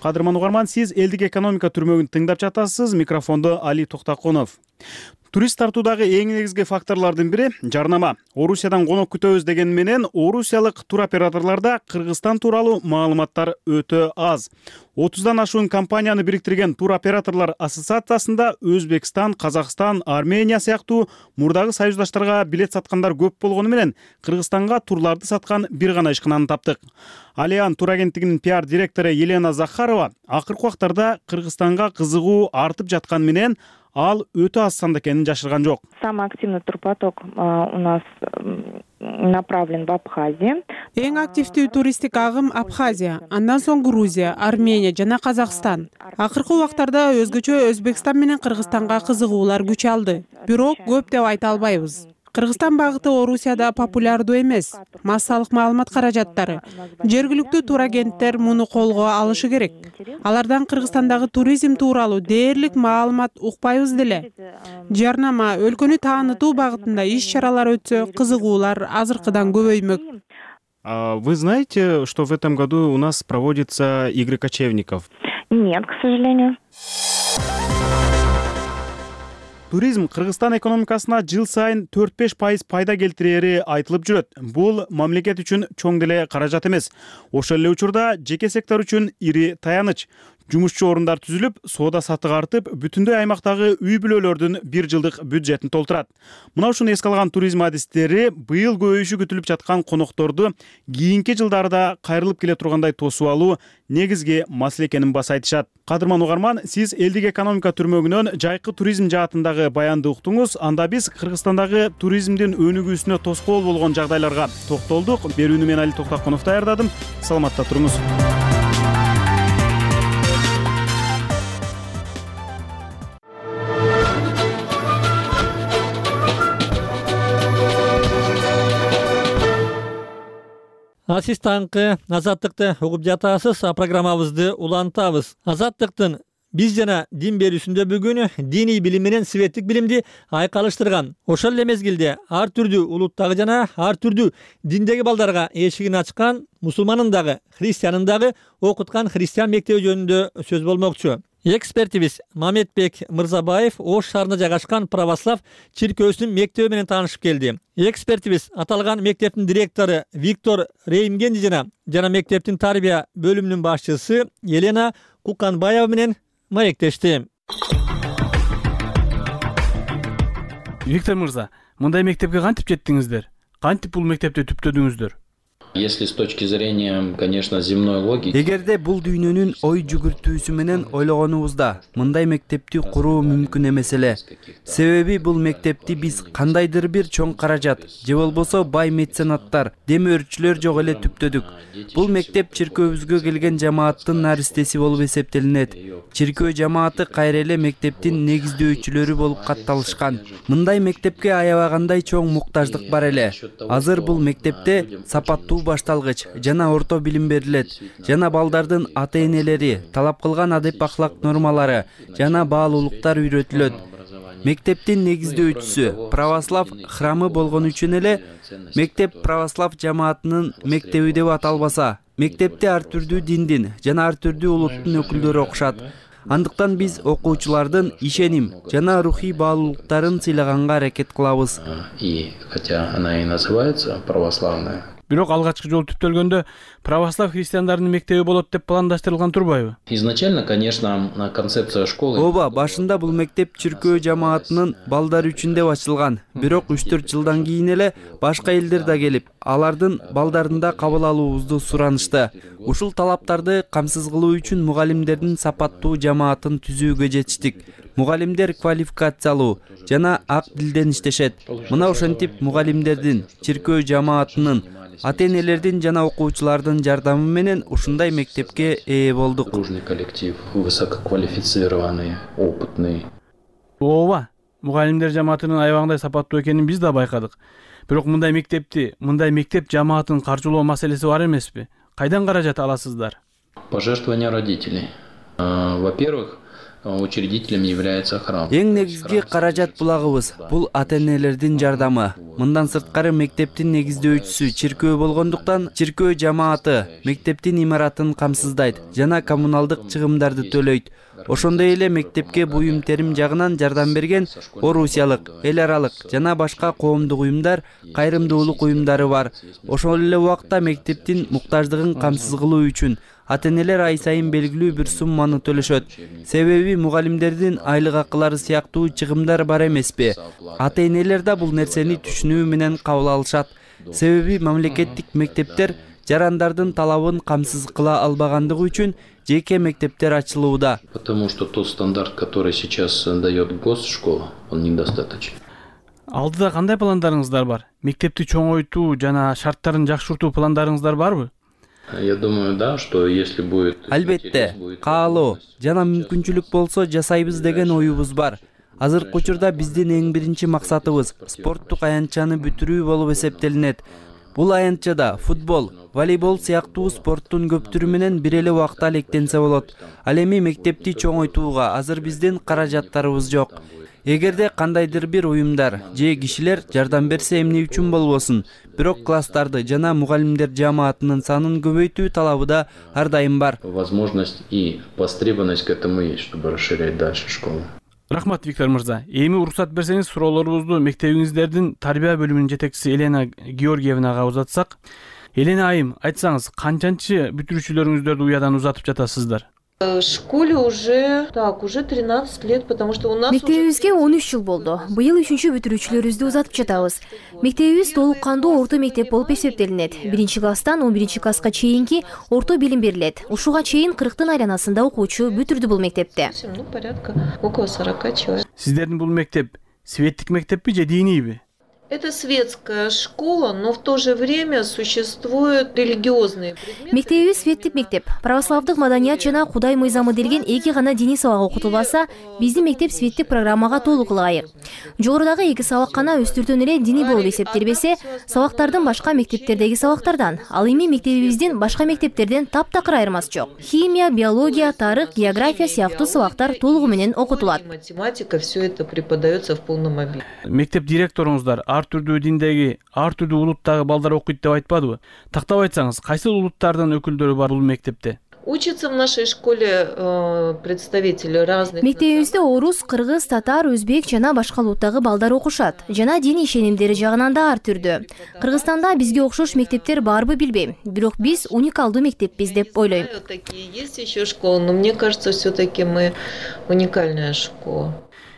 Speaker 9: Кадырман угарман, сиз элдик экономика түрмөгүн тыңдап жатасыз. Микрофондо Али Токтакунов. Турист тартуудагы эң негизги факторлордун бири жарнама. Орусиядан конок күтөбүз деген менен орусиялык туроператорлордо Кыргызстан тууралуу маалыматтар өтө аз. отуздан ашуун компанияны бириктирген туроператорлор ассоциациясында Өзбекстан, Казакстан, Армения сыяктуу мурдагы союздаштарга билет саткандар көп болгону менен Кыргызстанга турларды саткан бир гана ишкананы таптык. Алиан тур агенттигинин пиар директору Елена Захарова акыркы убактарда Кыргызстанга кызыгуу артып жаткан менен ал өтө аз санда экенин жашырган жок.
Speaker 17: Самый активный турпоток у нас направлен в Абхазию.
Speaker 18: Эң активдүү туристтик агым Абхазия, андан соң Грузия, Армения жана Казакстан. Акыркы убактарда өзгөчө Өзбекстан менен Кыргызстанга кызыгуулар күч алды. Бирок көп деп айта албайбыз. Кыргызстан багыты Орусияда популярдуу эмес. Массалык маалымат каражаттары. Жергиликтүү турагенттер муну колго алышы керек. Алардан Кыргызстандагы туризм тууралуу дээрлик маалымат укпайбыз деле. Жарнама, өлкөнү таанытуу багытында иш-чаралар өтсө, кызыгуулар азыркыдан көбөймөк.
Speaker 9: Вы знаете, что в этом году у нас проводится игры кочевников?
Speaker 17: Нет, к сожалению.
Speaker 9: Туризм Кыргызстан экономикасына жыл сайын төрт беш пайыз пайда келтирери айтылып жүрөт. Бул мамлекет үчүн чоң деле каражат эмес. Ошол эле учурда жеке сектор үчүн ири таяныч. Жумушчу орундар түзүлүп, соода саттык артып, бүтүндөй аймактагы үй бүлөлөрдүн бир жылдык бюджетин толтурат. Мына ушуну эске алган туризм адистери быйыл көбөйүшү күтүлүп жаткан конокторду кийинки жылдарда кайрылып келе тургандай тосуп алуу негизги маселе экенин баса айтышат. Кадырман угарман, сиз элдик экономика түрмөгүнөн жайкы туризм жаатындагы баянды уктуңуз. Анда биз Кыргызстандагы туризмдин өнүгүүсүнө тоскоол болгон жагдайларга токтолдук. Берүүнү мен Али Токтакунов даярдадым. Саламатта туруңуз.
Speaker 1: А сиз таңкы Азаттыкты угуп жатасыз. Программабызды улантабыз. Азаттыктын биз жана дин берүүсүндө бүгүн диний билим менен светтик билимди айкалыштырган. Ошол эле мезгилде ар түрдүү улуттагы жана ар түрдүү диндеги балдарга эшигин ачкан, мусулманын дагы, христианын дагы окуткан христиан мектеби жөнүндө сөз болмокчу. Экспертибиз Мамедбек Мырзабаев Ош шаарында жайгашкан православ чиркөөсүнүн мектеби менен таанышып келди. Экспертибиз аталган мектептин директору Виктор Реймгенди жана жана мектептин тарбия бөлүмүнүн башчысы Елена Куканбаева менен маектешти.
Speaker 9: Виктор мырза, мындай мектепке кантип жеттиңиздер? Кантип бул мектепти түптөдүңүздөр?
Speaker 19: Если с точки зрения, конечно, земной логики.
Speaker 20: Эгерде бул дүйнөнүн ой жүгүртүүсү менен ойлогонубузда мындай мектепти куруу мүмкүн эмес эле. Себеби бул мектепти биз кандайдыр бир чоң каражат же болбосо бай меценаттар, демөөрчүлөр жок эле түптөдүк. Бул мектеп чиркөөбүзгө келген жамааттын наристеси болуп эсептелинет. Чиркөө жамааты кайра эле мектептин негиздөөчүлөрү болуп катталышкан. Мындай мектепке аябагандай чоң муктаждык бар эле. Азыр бул мектепте сапаттуу башталгыч жана орто билим берилет. Жана балдардын ата-энелери талап кылган адеп ахлак нормалары жана баалуулуктар үйрөтүлөт. Мектептин негиздөөчүсү православ храмы болгон үчүн эле мектеп православ жамаатынын мектеби деп аталбаса, мектепте ар түрдүү диндин жана ар түрдүү улуттун өкүлдөрү окушат. Андыктан биз окуучулардын ишеним жана рухий баалуулуктарын сыйлаганга аракет кылабыз.
Speaker 19: И хотя она и называется православная.
Speaker 9: Бирок алгачкы жолу түптөлгөндө православ христиандарынын мектеби болот деп пландаштырылган турбайбы?
Speaker 19: Изначально, конечно, концепция школы.
Speaker 20: Ооба, башында бул мектеп чиркөө жамаатынын балдары үчүн деп ачылган. Бирок үч төрт жылдан кийин эле башка элдер да келип, алардын балдарында кабыл алуубузду суранышты. Ушул талаптарды камсыз кылуу үчүн мугалимдердин сапаттуу жамаатын түзүүгө жетиштик. Мугалимдер квалификациялуу жана ак тилден иштешет. Мына ошентип мугалимдердин, чиркөө жамаатынын, ата-энелердин жана окуучулардын жардамы менен ушундай мектепке ээ болдук.
Speaker 19: Дружный коллектив, высококвалифицированный, опытный.
Speaker 9: Ооба, мугалимдер жамаатынын аябагандай сапаттуу экенин биз да байкадык. Бирок мындай мектепти, мындай мектеп жамаатын каржылоо маселеси бар эмеспи? Кайдан каражат аласыздар?
Speaker 19: Пожертвования родителей. Во-первых, учредителем является храм.
Speaker 20: Эң негизги каражат булагыбыз бул ата-энелердин жардамы. Мындан сырткары мектептин негиздөөчүсү чиркөө болгондуктан чиркөө жамааты мектептин имаратын камсыздайт жана коммуналдык чыгымдарды төлөйт. Ошондой эле мектепке буюм терим жагынан жардам берген орусиялык, эл аралык жана башка коомдук уюмдар, кайрымдуулук уюмдары бар. Ошол эле убакта мектептин муктаждыгын камсыз кылуу үчүн ата-энелер ай сайын белгилүү бир сумманы төлөшөт. Себеби мугалимдердин айлык акылары сыяктуу чыгымдар бар эмеспи? Ата-энелер да бул нерсени түшүнүү менен кабыл алышат. Себеби мамлекеттик мектептер жарандардын талабын камсыз кыла албагандыгы үчүн жеке мектептер ачылууда.
Speaker 19: Потому что тот стандарт, который сейчас дает госшкола, он недостаточен.
Speaker 9: Алдыда кандай пландарыңыздар бар? Мектепти чоңойтуу жана шарттарын жакшыртуу пландарыңыздар барбы?
Speaker 19: Я думаю, да, что если будет...
Speaker 20: Албетте, каалоо жана мүмкүнчүлүк болсо жасайбыз деген оюбуз бар. Азыркы учурда биздин эң биринчи максатыбыз спорттук аянтчаны бүтүрүү болуп эсептелинет. Бул аянтчада футбол, волейбол сыяктуу спорттун көп түрү менен бир эле убакта алектенсе болот. Ал эми мектепти чоңойтууга азыр биздин каражаттарыбыз жок. Эгерде кандайдыр бир уюмдар же кишилер жардам берсе эмне үчүн болбосун, бирок класстарды жана мугалимдер жамаатынын санын көбөйтүү талабы да ар дайым бар.
Speaker 19: Возможность и востребованность к этому есть, чтобы расширять дальше школу.
Speaker 9: Рахмат, Виктор мырза. Эми уруксат берсеңиз, суроолорубузду мектебиңиздердин тарбия бөлүмүнүн жетекчиси Елена Георгиевнага узатсак. Елена айым, айтсаңыз, канчанчы бүтүрүүчүлөрүңүздөрдү уядан узатып жатасыздар?
Speaker 21: В школе уже, так, уже тринадцать лет, потому что у нас...
Speaker 22: Мектебибизге он үч жыл болду. Быйыл үчүнчү бүтүрүүчүлөрүбүздү узатып жатабыз. Мектебибиз толук кандуу орто мектеп болуп эсептелинет. Биринчи класстан он биринчи класска чейинки орто билим берилет. Ушуга чейин кырктын айланасында окуучу бүтүрдү бул мектепте.
Speaker 21: Ну, порядка около сорока человек.
Speaker 9: Сиздердин бул мектеп светтик мектеппи же дийнийби?
Speaker 21: Это светская школа, но в то же время существуют религиозные предметы.
Speaker 22: Мектебибиз светтик мектеп. Православдык маданият жана Кудай мыйзамы делген эки гана диний сабак окутулбаса, биздин мектеп светтик программага толук ылайык. Жогорудагы эки сабак гана өстүртөн эле диний болуп эсептелбесе, сабактардын башка мектептердеги сабактардан, ал эми мектебибиздин башка мектептерден таптакыр айырмасы жок. Химия, биология, тарых, география сыяктуу сабактар толугу менен окутулат.
Speaker 21: Математика, все это преподается в полном объеме.
Speaker 7: Мектеп директоруңуздар ар түрдүү диндеги, ар түрдүү улуттагы балдар окуйт деп айтпадыбы? Тактап айтсаңыз, кайсыл улуттардын өкүлдөрү бар бул мектепте?
Speaker 21: Учатся в нашей школе э, представители разных.
Speaker 22: Мектебибизде орус, кыргыз, татар, өзбек жана башка улуттагы балдар окушат. Жана дин ишенимдери жагынан да ар түрдүү. Кыргызстанда бизге окшош мектептер барбы билбейм. Бирок биз уникалдуу мектеппиз деп ойлойм.
Speaker 21: Такие есть еще школы, но мне кажется, все-таки мы уникальная школа.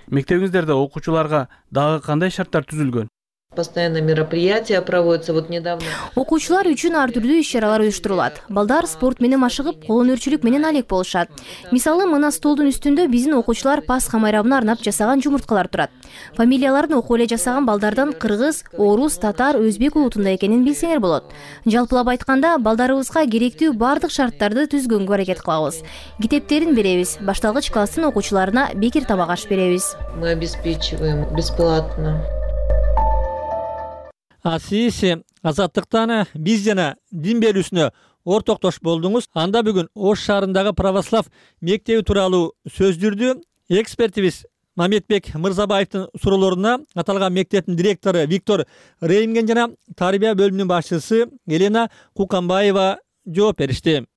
Speaker 7: Мектебиңиздерде окуучуларга дагы кандай шарттар түзүлгөн?
Speaker 21: Постоянно мероприятия проводятся. Вот недавно.
Speaker 22: Окуучулар үчүн ар түрдүү иш-чаралар уюштурулат. Балдар спорт менен машыгып, кол өнөрчүлүк менен алек болушат. Мисалы, мына столдун үстүндө биздин окуучулар Пасха майрамына арнап жасаган жумурткалар турат. Фамилияларын окуп эле жасаган балдардан кыргыз, орус, татар, өзбек улутунда экенин билсеңер болот. Жалпылап айтканда, балдарыбызга керектүү бардык шарттарды түзгөнгө аракет кылабыз. Китептерин беребиз, башталгыч класстын окуучуларына бекер табак аш беребиз.
Speaker 21: Мы обеспечиваем бесплатно.
Speaker 1: Асиси азаттыктан биз жана дин берүүсүнө ортоктош болдуңуз. Анда бүгүн Ош шаарындагы православ мектеби тууралуу сөз жүрдү. Экспертибиз Мамедбек Мырзабаевдин суроолоруна аталган мектептин директору Виктор Реймген жана тарбия бөлүмүнүн башчысы Елена Куканбаева жооп беришти.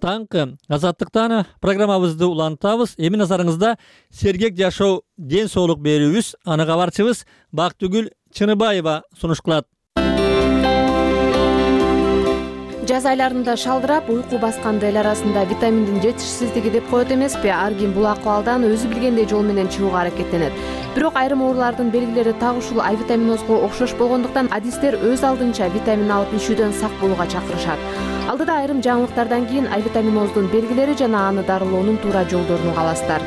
Speaker 1: Таңкы азаттыктан программабызды улантабыз. Эми назарыңызда сергек жашоо, ден соолук берүүбүз. Аны кабарчыбыз Бактыгүл Чыныбаева сунуш кылат.
Speaker 3: Жаз айларында шалдырап, уйку басканды эл арасында витаминдин жетишсиздиги деп коет эмеспи? Ар ким бул акыбалдан өзү билгендей жол менен чыгууга аракеттенет. Бирок айрым оорулардын белгилери так ушул А витаминозго окшош болгондуктан адистер өз алдынча витамин алып ичүүдөн сак болууга чакырышат. Алдыда айрым жаңылыктардан кийин А витаминоздун белгилери жана аны дарылоонун туура жолдорун угаласыздар.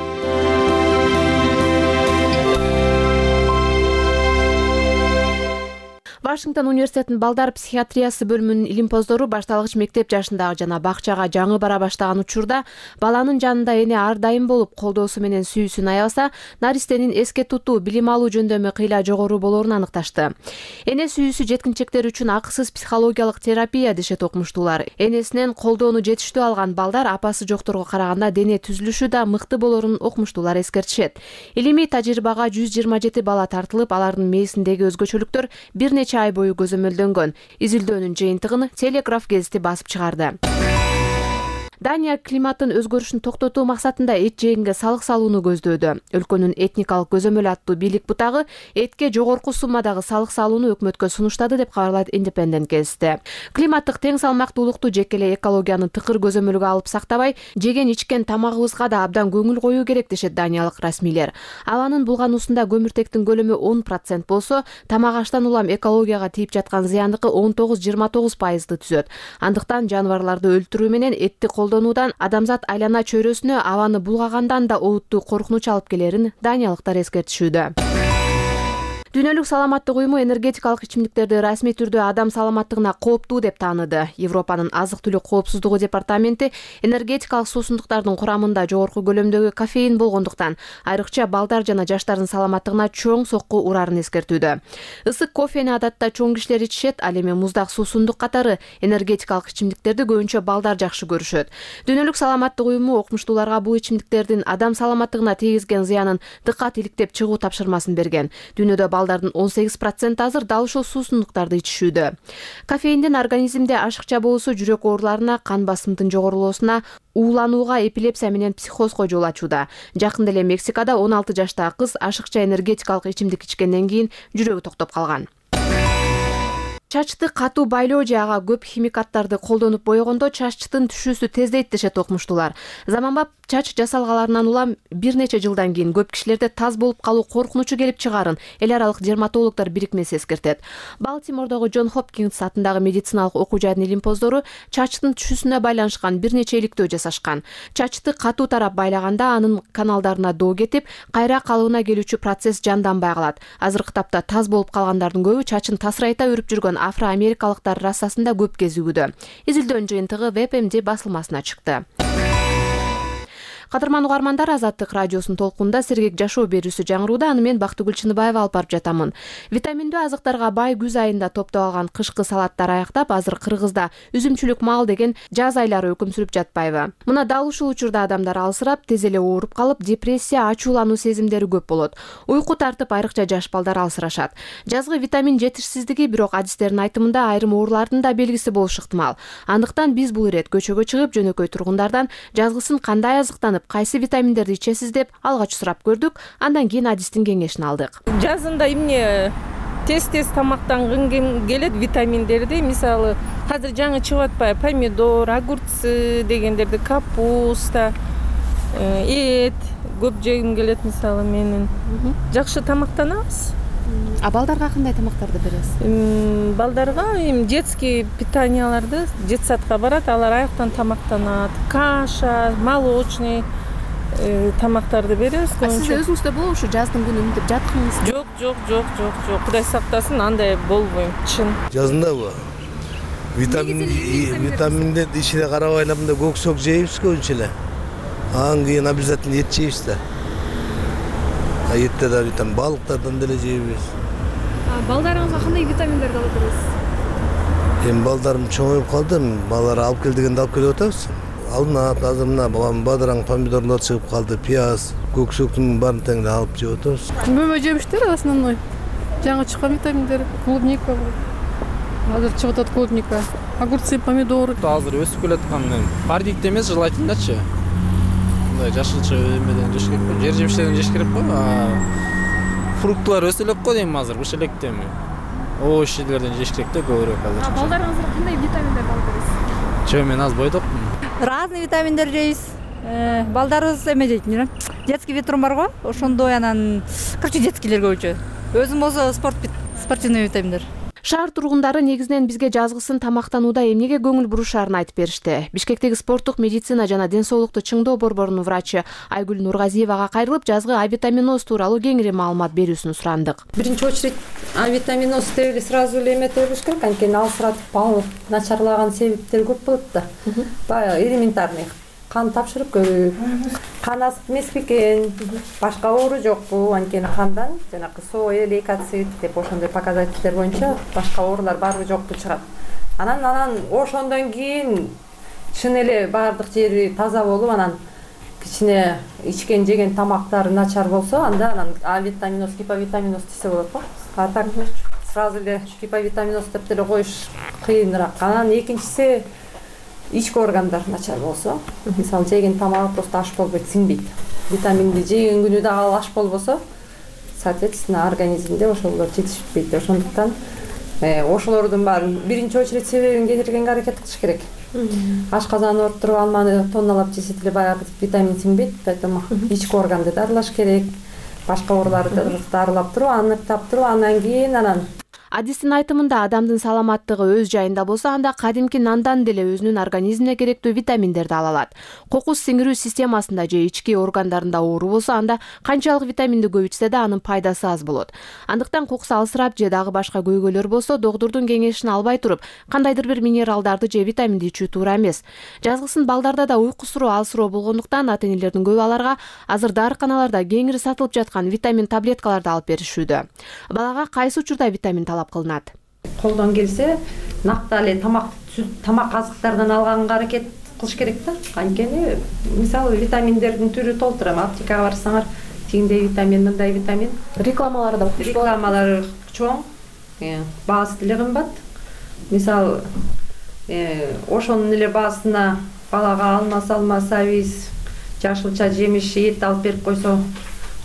Speaker 3: Вашингтон университетинин балдар психиатриясы бөлүмүнүн илимпоздору башталгыч мектеп жашындагы жана бакчага жаңы бара баштаган учурда баланын жанында эне ар дайым болуп колдоосу менен сүйүүсүн аябаса, наристенин эске тутуу, билим алуу жөндөмү кыйла жогору болоорун аныкташты. Эне сүйүүсү жеткинчектер үчүн акысыз психологиялык терапия дешет окумуштуулар. Энесинен колдоону жетиштүү алган балдар апасы жокторго караганда дене түзүлүшү да мыкты болоорун окумуштуулар эскертишет. Илимий тажрыйбага жүз жыйырма жети бала тартылып, алардын мээсиндеги өзгөчөлүктөр бир нече ай бою көзөмөлдөнгөн. Изилдөөнүн жыйынтыгын Телеграф гезити басып чыгарды. Дания климаттын өзгөрүшүн токтотуу максатында эт жегенге салык салууну көздөөдө. Өлкөнүн этникалык көзөмөл аттуу бийлик бутагы этке жогорку суммадагы салык салууну өкмөткө сунуштады деп кабарлайт Independent гезити. Климаттык тең салмактуулукту жеке эле экологияны тыкыр көзөмөлгө алып сактабай, жеген ичкен тамагыбызга да абдан көңүл коюу керек дешет даниялык расмийлер. Абанын булгануусунда көмүртектин көлөмү он процент болсо, тамак аштан улам экологияга тийип жаткан зыяндыкы он тогуз жыйырма тогуз пайызды түзөт. Андыктан жаныбарларды өлтүрүү менен этти колдонуудан адамзат айлана чөйрөсүнө абаны булгагандан да олуттуу коркунуч алып келерин даниялыктар эскертишүүдө. Дүйнөлүк саламаттык уюму энергетикалык ичимдиктерди расмий түрдө адам саламаттыгына кооптуу деп тааныды. Европанын азык-түлүк коопсуздугу департаменти энергетикалык суусундуктардын курамында жогорку көлөмдөгү кофеин болгондуктан айрыкча балдар жана жаштардын саламаттыгына чоң сокку урарын эскертүүдө. Ысык кофени адатта чоң кишилер ичишет, ал эми муздак суусундук катары энергетикалык ичимдиктерди көбүнчө балдар жакшы көрүшөт. Дүйнөлүк саламаттык уюму окумуштууларга бул ичимдиктердин адам саламаттыгына тийгизген зыянын дыккат иликтеп чыгуу тапшырмасын берген. Дүйнөдө балдардын он сегиз проценти азыр дал ушул суусундуктарды ичишүүдө. Кофеиндин организмде ашыкча болуусу жүрөк ооруларына, кан басымдын жогорулоосуна, ууланууга, эпилепсия менен психозго жол ачууда. Жакында эле Мексикада он алты жаштагы кыз ашыкча энергетикалык ичимдик ичкенден кийин жүрөгү токтоп калган. чачты катуу байлоо же ага көп химикаттарды колдонуп боегондо чачтын түшүүсү тездейт дешет окумуштуулар. Заманбап чач жасалгаларынан улам бир нече жылдан кийин көп кишилерде таз болуп калуу коркунучу келип чыгаарын эл аралык дерматологдор бирикмеси эскертет. Балтимордогу Джон Хопкинс атындагы медициналык окуу жайдын илимпоздору чачтын түшүүсүнө байланышкан бир нече иликтөө жасашкан. Чачты катуу тарап байлаганда анын каналдарына доо кетип, кайра калыбына келүүчү процесс жанданбай калат. Азыркы тапта таз болуп калгандардын көбү чачын тасырайта өрүп жүргөн афро-америкалыктар расасында көп кезигүүдө. Изилдөөнүн жыйынтыгы Веб эм ди басылмасына чыкты. Кадырман угармандар, Азаттык радиосунун толкунда сергек жашоо берүүсү жаңырууда. Аны мен Бактыгүл Чыныбаева алып барып жатамын. Витаминдүү азыктарга бай күз айында топтолгон кышкы салаттар аяктап, азыр Кыргызда үзүмчүлүк мал деген жаз айлары өкүм сүрүп жатпайбы? Мына дал ушул учурда адамдар алсырап, тез эле ооруп калып, депрессия, ачуулануу сезимдери көп болот. Уйку тартып, айрыкча жаш балдар алсырашат. Жазгы витамин жетишсиздиги бирок адистердин айтымында айрым оорулардын да белгиси болушу ыктымал. Андыктан биз бул ирет көчөгө чыгып, жөнөкөй тургундардан жазгысын кандай азыктанып, кайсы витаминдерди ичесиз деп алгач сурап көрдүк. Андан кийин адистин кеңешин алдык.
Speaker 4: Жазында эмне тез-тез тамактангым келет витаминдерди. Мисалы, азыр жаңы чыгып атпайбы? Помидор, огурцы дегендерди, капуста, эт көп жегим келет мисалы менин. Жакшы тамактанабыз.
Speaker 3: А балдарга кандай тамактарды бересиз?
Speaker 4: Балдарга эми детский питанияларды детсадка барат, алар аяктан тамактанат. Каша, молочный тамактарды беребиз.
Speaker 3: Сиз өзүңүздө болобу ушу жаздын күнү мынтип жаткыңыз?
Speaker 4: Жок, жок, жок, жок, жок. Кудай сактасын, андай болбойм. Чын.
Speaker 5: Жазындабы? Витамин витаминдерди ичине карап айлабында көксөк жейбиз көбүнчө эле. Анан кийин обязательно эт жейбиз да. А этте да витамин, балыктардан деле жейбиз.
Speaker 23: Балдарыңызга кандай витаминдерди алып бересиз?
Speaker 5: Эми балдарым чоңоюп калды, балдар алып кел дегенде алып келип атабыз. Алынат, азыр мына бадыраң, помидорлор чыгып калды, пияз, көксөктүн баарын тең алып жеп атабыз.
Speaker 23: Мөмө жемиштер основной. Жаңы чыккан витаминдер, клубника. Азыр чыгып атат клубника. Огурцы, помидор.
Speaker 24: Азыр өсүп келаткан бардикте эмес, желательночу. Мындай жашылча эмеден жеш керек го, жер жемиштерден жеш керек го. Фруктулар өсө элек го дейм азыр, быш электеми. Овощ жерлерден жеш керек да көбүрөөк азыр.
Speaker 23: Балдарыңызга кандай витаминдерди алып бересиз?
Speaker 24: Жөө мен аз бойдокмун.
Speaker 25: Разный витаминдер жейбиз. Балдарыбыз эме жейт, детский витрум бар го, ошондой анан короче детскийлер көбүнчө. Өзүм болсо спорт спортивный витаминдер.
Speaker 3: Шаар тургундары негизинен бизге жазгысын тамактанууда эмнеге көңүл бурушаарын айтып беришти. Бишкектеги спорттук медицина жана ден соолукту чыңдоо борборунун врачы Айгүл Нургазиевага кайрылып, жазгы авитаминоз тууралуу кеңири маалымат берүүсүн сурандык.
Speaker 26: Биринчи очередь авитаминоз деп эле сразу эле эметип бериш керек, анткени алсыратып начарлаган себептер көп болот да. Баягы элементарный кан тапшырып көрүү, кан асып эмес бекен, башка оору жокпу, анткени кандан жанагы соя, лейкоцит деп ошондой показательдер боюнча башка оорулар барбы жокпу чыгат. Анан анан ошондон кийин чын эле баардык жери таза болуп, анан кичине ичкен жеген тамактары начар болсо, анда анан авитаминоз, гиповитаминоз десе болот го. А так сразу эле гиповитаминоз деп деле коюш кыйыныраак. Анан экинчиси ички органдар начар болсо, мисалы жеген тамагы просто аш болбойт, сиңбейт. Витаминди жеген күнү дагы ал аш болбосо, соответственно, организмде ошолор жетишпейт. Ошондуктан ошолордун баарын биринчи очередь себебин кетиргенге аракет кылыш керек. Ашказан ооруп алманы тонналап жесе деле баягы витамин сиңбейт, поэтому ички органды дарылаш керек. Башка ооруларды дарылап туруп, аныктап туруп, андан кийин анан
Speaker 3: Адистин айтымында адамдын саламаттыгы өз жайында болсо, анда кадимки нандан деле өзүнүн организмине керектүү витаминдерди ала алат. Кокус сиңирүү системасында же ички органдарында оору болсо, анда канчалык витаминди көп ичсе да анын пайдасы аз болот. Андыктан кокус алсырап же дагы башка көйгөйлөр болсо, доктурдун кеңешин албай туруп, кандайдыр бир минералдарды же витаминди ичүү туура эмес. Жазгысын балдарда да уйкусуроо алсыроо болгондуктан ата-энелердин көбү аларга азыр дарыканаларда кеңири сатылып жаткан витамин таблеткаларды алып беришүүдө. Балага кайсы учурда витамин талап кылынат?
Speaker 26: Колдон келсе, нактале тамак тамак азыктардан алганга аракет кылыш керек да. Анткени мисалы витаминдердин түрү толтура. Аптекага барсаңар, тигиндей витамин, мындай витамин.
Speaker 3: Рекламалары да окуш.
Speaker 26: Рекламалары чоң, баасы деле кымбат. Мисалы, ошонун эле баасына балага алма салма, сабиз, жашылча жемиш, эт алып берип койсо,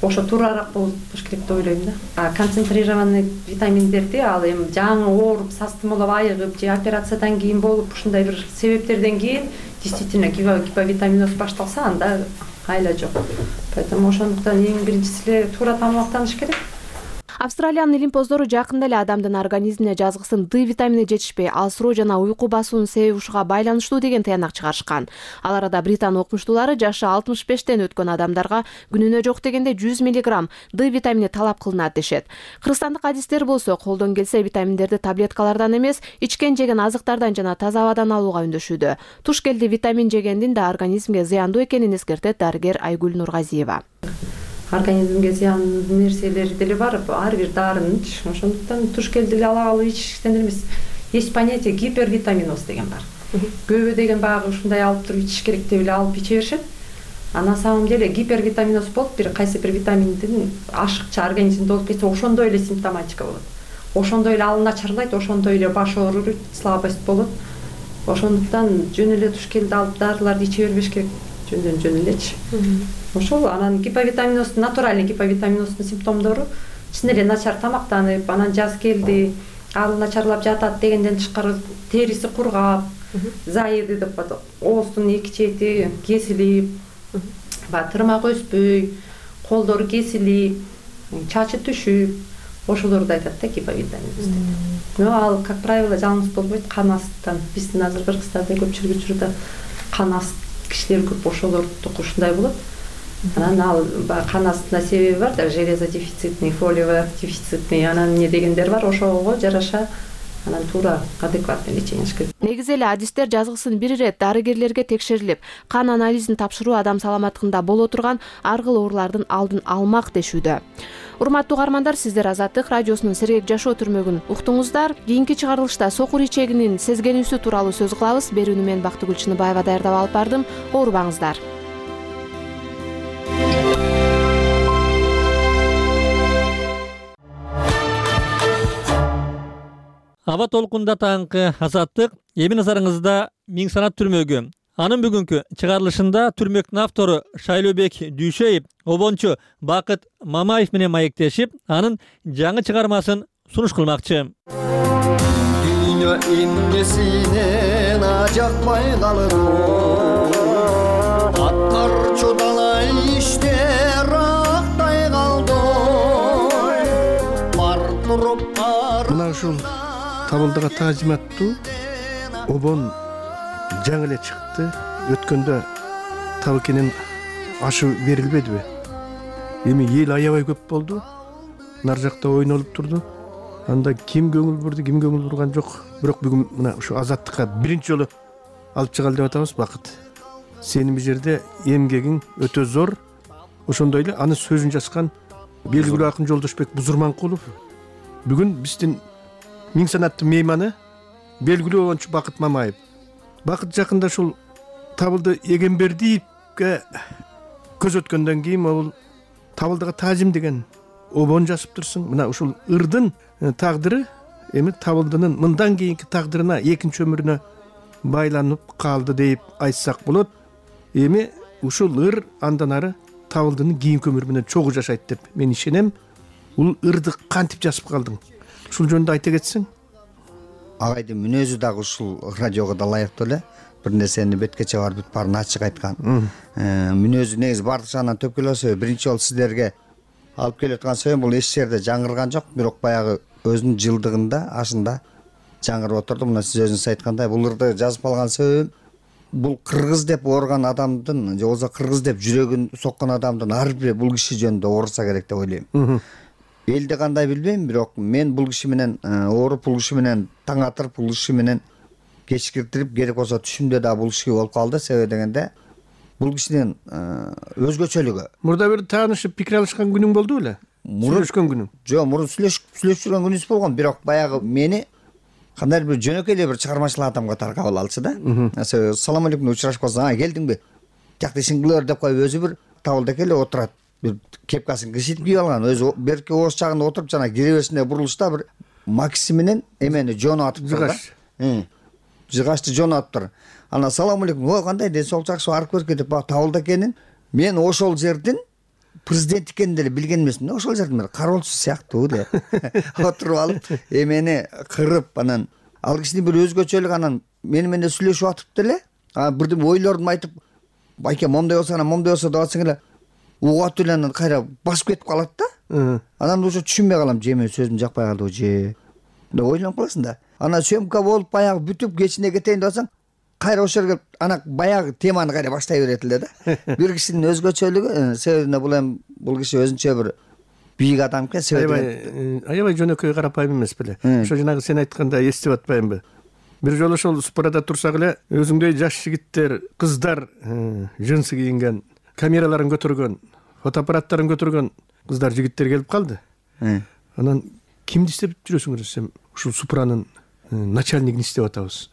Speaker 26: ошо туурараак болуш керек деп ойлойм да. А концентрированный витаминдерди ал эми жаңы ооруп састымалап айыгып же операциядан кийин болуп ушундай бир себептерден кийин действительно гиповитаминоз башталса анда айла жок. Поэтому ошондуктан эң биринчиси эле туура тамактаныш керек.
Speaker 3: Австралиянын илимпоздору жакында эле адамдын организмине жазгысын Д витамини жетишпей, алсыроо жана уйку басуунун себеби ушуга байланыштуу деген таянак чыгарышкан. Ал арада Британ окумуштуулары жашы алтымыш бештен өткөн адамдарга күнүнө жок дегенде жүз миллиграмм Д витамини талап кылынат дешет. Кыргызстандык адистер болсо колдон келсе витаминдерди таблеткалардан эмес, ичкен жеген азыктардан жана таза абадан алууга үндөшүүдө. Туш келди витамин жегендин да организмге зыяндуу экенин эскертет дарыгер Айгүл Нургазиева.
Speaker 26: Организмге зыяндуу нерселер деле бар, ар бир дарынын. Ошондуктан туш келди эле ала алып ичиштен эмес. Есть понятие гипервитаминоз деген бар. Көбү деген баягы ушундай алып туруп ичиш керек деп эле алып иче беришет. А на самом деле гипервитаминоз болуп, бир кайсы бир витаминдин ашыкча организмде болуп кетсе, ошондой эле симптоматика болот. Ошондой эле ал начарлайт, ошондой эле баш ооруйт, слабость болот. Ошондуктан жөн эле туш келди алып дарыларды иче бербеш керек. Жөндөн жөн элечи. Ошол анан гиповитаминоз, натуральный гиповитаминоздун симптомдору чын эле начар тамактанып, анан жаз келди, ал начарлап жатат дегенден тышкары териси кургап, заеды деп коет. Ооздун эки чети кесилип, баягы тырмак өспөй, колдору кесилип, чачы түшүп, ошолорду айтат да гиповитаминоз деп. Но ал, как правило, жалгыз болбойт, кан астынан. Биздин азыр Кыргызстанда көпчүлүк учурда кан аст кишилер көп ошолордуку ушундай болот. Анан ал кан астында себеби бар да, железодефицитный, фолиевый дефицитный, анан эмне дегендер бар, ошого жараша анан туура адекватный лечение керек.
Speaker 3: Негизи эле адистер жазгысын бир ирет дарыгерлерге текшерилип, кан анализин тапшыруу адам саламаттыгында боло турган ар кыл оорулардын алдын алмак дешүүдө. Урматтуу угармандар, сиздер Азаттык радиосунун сергек жашоо түрмөгүн уктуңуздар. Кийинки чыгарылышта сокур ичегинин сезгенүүсү тууралуу сөз кылабыз. Берүүнү мен Бактыгүл Чыныбаева даярдап алып бардым. Оорубаңыздар.
Speaker 1: Аба толкунда таңкы Азаттык эми назарыңызда Миң санат түрмөгү. Анын бүгүнкү чыгарылышында түрмөктүн автору Шайлообек Дүйшеев обончу Бакыт Мамаев менен маектешип, анын жаңы чыгармасын сунуш кылмакчы.
Speaker 2: Дүйнө иннесинен ажакпай калыр, аттар чудалай иштер актай калды. Бар туруп бар.
Speaker 5: Мына ушул табылдыга таазим аттуу обон жаңы эле чыкты. Өткөндө табыкенин ашы берилбедиби? Эми эл аябай көп болду. Нар жакта ойнолуп турду. Анда ким көңүл бурду, ким көңүл бурган жок. Бирок бүгүн мына ушу Азаттыкка биринчи жолу алып чыгалы деп атабыз. Бакыт, сенин бул жерде эмгегиң өтө зор. Ошондой эле анын сөзүн жазган белгилүү акын Жолдошбек Бузурманкулов бүгүн биздин Миң санаттын мейманы, белгилүү обончу Бакыт Мамаев. Бакыт жакында ушул Табылды Эгембердиевге көз өткөндөн кийин бул Табылдыга таазим деген обон жазыптырсың. Мына ушул ырдын тагдыры эми Табылдынын мындан кийинки тагдырына, экинчи өмүрүнө байланып калды деп айтсак болот. Эми ушул ыр андан ары Табылдынын кийинки өмүрү менен чогуу жашайт деп мен ишенем. Бул ырды кантип жазып калдың? Ушул жөнүндө айта кетсең.
Speaker 6: Агайдын мүнөзү дагы ушул радиого да ылайыктуу эле. Бир нерсени беткече барып бүт баарын ачык айткан. Мүнөзү негизи бардык жагынан төпкөлө себеби биринчи жолу сиздерге алып келип аткан себебим бул эч жерде жаңырган жок, бирок баягы өзүнүн жылдыгында ашында жаңырып отурду. Мына сиз өзүңүз айткандай бул ырды жазып алган себебим бул кыргыз деп ооруган адамдын же болбосо кыргыз деп жүрөгүн соккон адамдын ар бири бул киши жөнүндө ооруса керек деп ойлойм. Элди кандай билбейм, бирок мен бул киши менен ооруп, бул киши менен таң атырып, бул киши менен кечкиртирип, керек болсо түшүмдө да бул киши болуп калды. Себеби дегенде бул кишинин өзгөчөлүгү.
Speaker 5: Мурда бир таанышып пикир алышкан күнүң болду беле? Сүйлөшкөн күнүң?
Speaker 6: Жок, мурун сүйлөшүп сүйлөшүп жүргөн күнүбүз болгон, бирок баягы мени кандай бир жөнөкөй эле бир чыгармачыл адам катары кабыл алчу да. Салам алейкум учурашып калсаң, а келдиңби? Жакты ишиң кылып деп коюп өзү бир Табылда келе отурат. Бир кепкасын кичитип кийип алган, өзү берки ооз чагында отуруп жана киребесинде бурулушта бир макси менен эмени жону атып тур да. Жыгачты жону атыптыр. Ана салам алейкум, ой кандай ден соолук жакшы, арып көркө деп Табылда экенин мен ошол жердин президент экенин деле билген эмесмин. Ошол жерден бир кароолчу сыяктуу деп отуруп алып эмени кырып анан ал кишинин бир өзгөчөлүгү анан мени менен сүйлөшүп атып деле бирдеме ойлорун айтып байке момундай болсо анан момундай болсо деп атсаң эле угуп атып эле анан кайра басып кетип калат да. Анан уже түшүнбөй калам, же мен сөзүм жакпай калдыбы же деп ойлонуп каласың да. Анан сөмка болуп баягы бүтүп кечине кетейин деп атсаң кайра ошол жерге ана баягы теманы кайра баштай берет эле да. Бир кишинин өзгөчөлүгү себебине бул эми бул киши өзүнчө бир бийик адам экен.
Speaker 8: Аябай аябай жөнөкөй карапайым эмес беле. Ошо жанагы сен айтканда эстеп атпаймынбы? Бир жолу ошол спорада турсак эле өзүңдөй жаш жигиттер, кыздар жынсы кийинген, камераларын көтөргөн, фотоаппараттарын көтөргөн кыздар, жигиттер келип калды. Анан кимди издеп жүрөсүңөр десем, ушул Супранын начальнигин издеп атабыз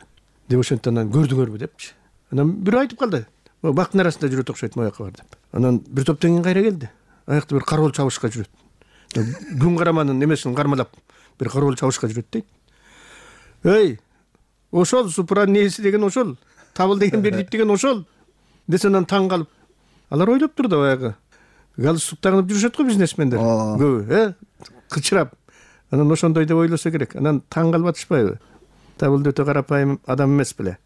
Speaker 8: деп ошентип анан көрдүңөрбү депчи. Анан бирөө айтып калды, бактын арасында жүрөт окшойт, мояка бар деп. Анан бир топтон кийин кайра келди. Аякта бир кароол чабышка жүрөт. Күн караманын эмесин кармалап бир кароол чабышка жүрөт дейт. Эй, ошол Супранын нээси деген ошол, табыл деген бердип деген ошол десе анан таң калып, алар ойлоп тур да баягы галстук тагынып жүрүшөт го бизнесмендер көбү, э, кычырап. Анан ошондой деп ойлосо керек. Анан таң калып атышпайбы? Табылды өтө карапайым адам эмес беле.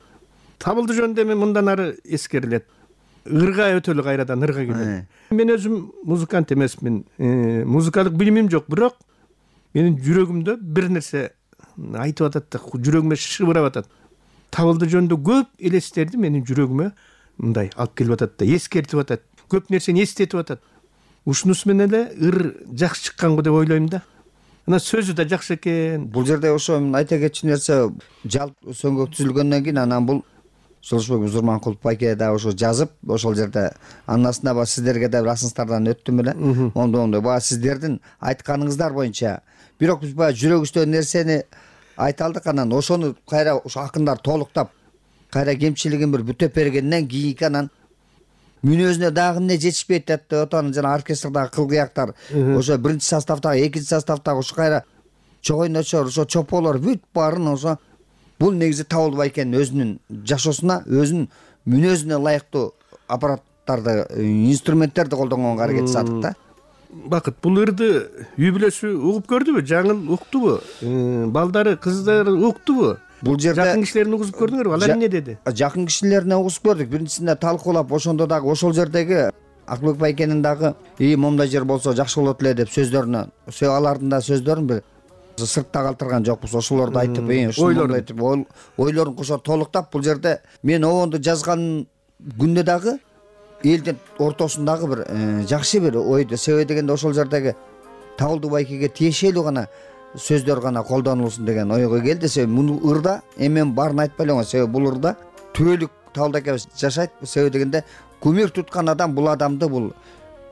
Speaker 8: Табылды жөнүндө эми мындан ары эскерилет. Ырга өтө эле кайрадан ырга келет. Мен өзүм музыкант эмесмин, музыкалык билимим жок, бирок менин жүрөгүмдө бир нерсе айтып атат да, жүрөгүмө шыбырап атат. Табылды жөнүндө көп элестерди менин жүрөгүмө мындай алып келип атат да, эскертип атат. Көп нерсени эстетип атат. Ушунусу менен эле ыр жакшы чыккан го деп ойлойм да. Анан сөзү да жакшы экен.
Speaker 6: Бул жерде ошо айта кетчү нерсе, жалп сөңгөк түзүлгөндөн кийин анан бул Жолошбек Узурманкулов байке да ошо жазып, ошол жерде анасына ба сиздерге да бир асыңыздардан өттүм эле. Ондой баа сиздердин айтканыңыздар боюнча. Бирок биз баа жүрөгүбүздөгү нерсени айта алдык, анан ошону кайра ошо акындар толуктап, кайра кемчилигин бир бүтөп бергенден кийинки анан мүнөзүнө дагы эмне жетишпейт деп атат. Жана оркестрдагы кылгыяктар, ошо биринчи составдагы, экинчи составдагы ошо кайра чогойночор, ошо чополор бүт баарын ошо бул негизи Табылды байкенин өзүнүн жашоосуна, өзүнүн мүнөзүнө ылайыктуу аппараттарды, инструменттерди колдонгонго аракет жасадык да.
Speaker 8: Бакыт, бул ырды үй бүлөсү угуп көрдүбү? Жаңыл уктубу? Балдары, кыздары уктубу?
Speaker 6: Бул жерде
Speaker 8: жакын кишилерин угузуп көрдүңөрбү? Алар эмне деди?
Speaker 6: Жакын кишилерине угузуп көрдүк. Биринчисинде талкуулап, ошондо дагы ошол жердеги Акылбек байкенин дагы "И момундай жер болсо жакшы болот эле" деп сөздөрүнө, алардын да сөздөрүн бир сыртта калтырган жокпуз. Ошолорду айтып, ойлорун айтып, ойлорун кошо толуктап, бул жерде мен обонду жазган күндө дагы элдин ортосундагы бир жакшы бир ойду. Себеби дегенде ошол жердеги Табылды байкеге тиешелүү гана сөздөр гана колдонулсун деген ойго келди. Себеби муну ырда эмен баарын айтпай эле, себеби бул ырда түбөлүк Табылды аке жашайт. Себеби дегенде кумир туткан адам бул адамды бул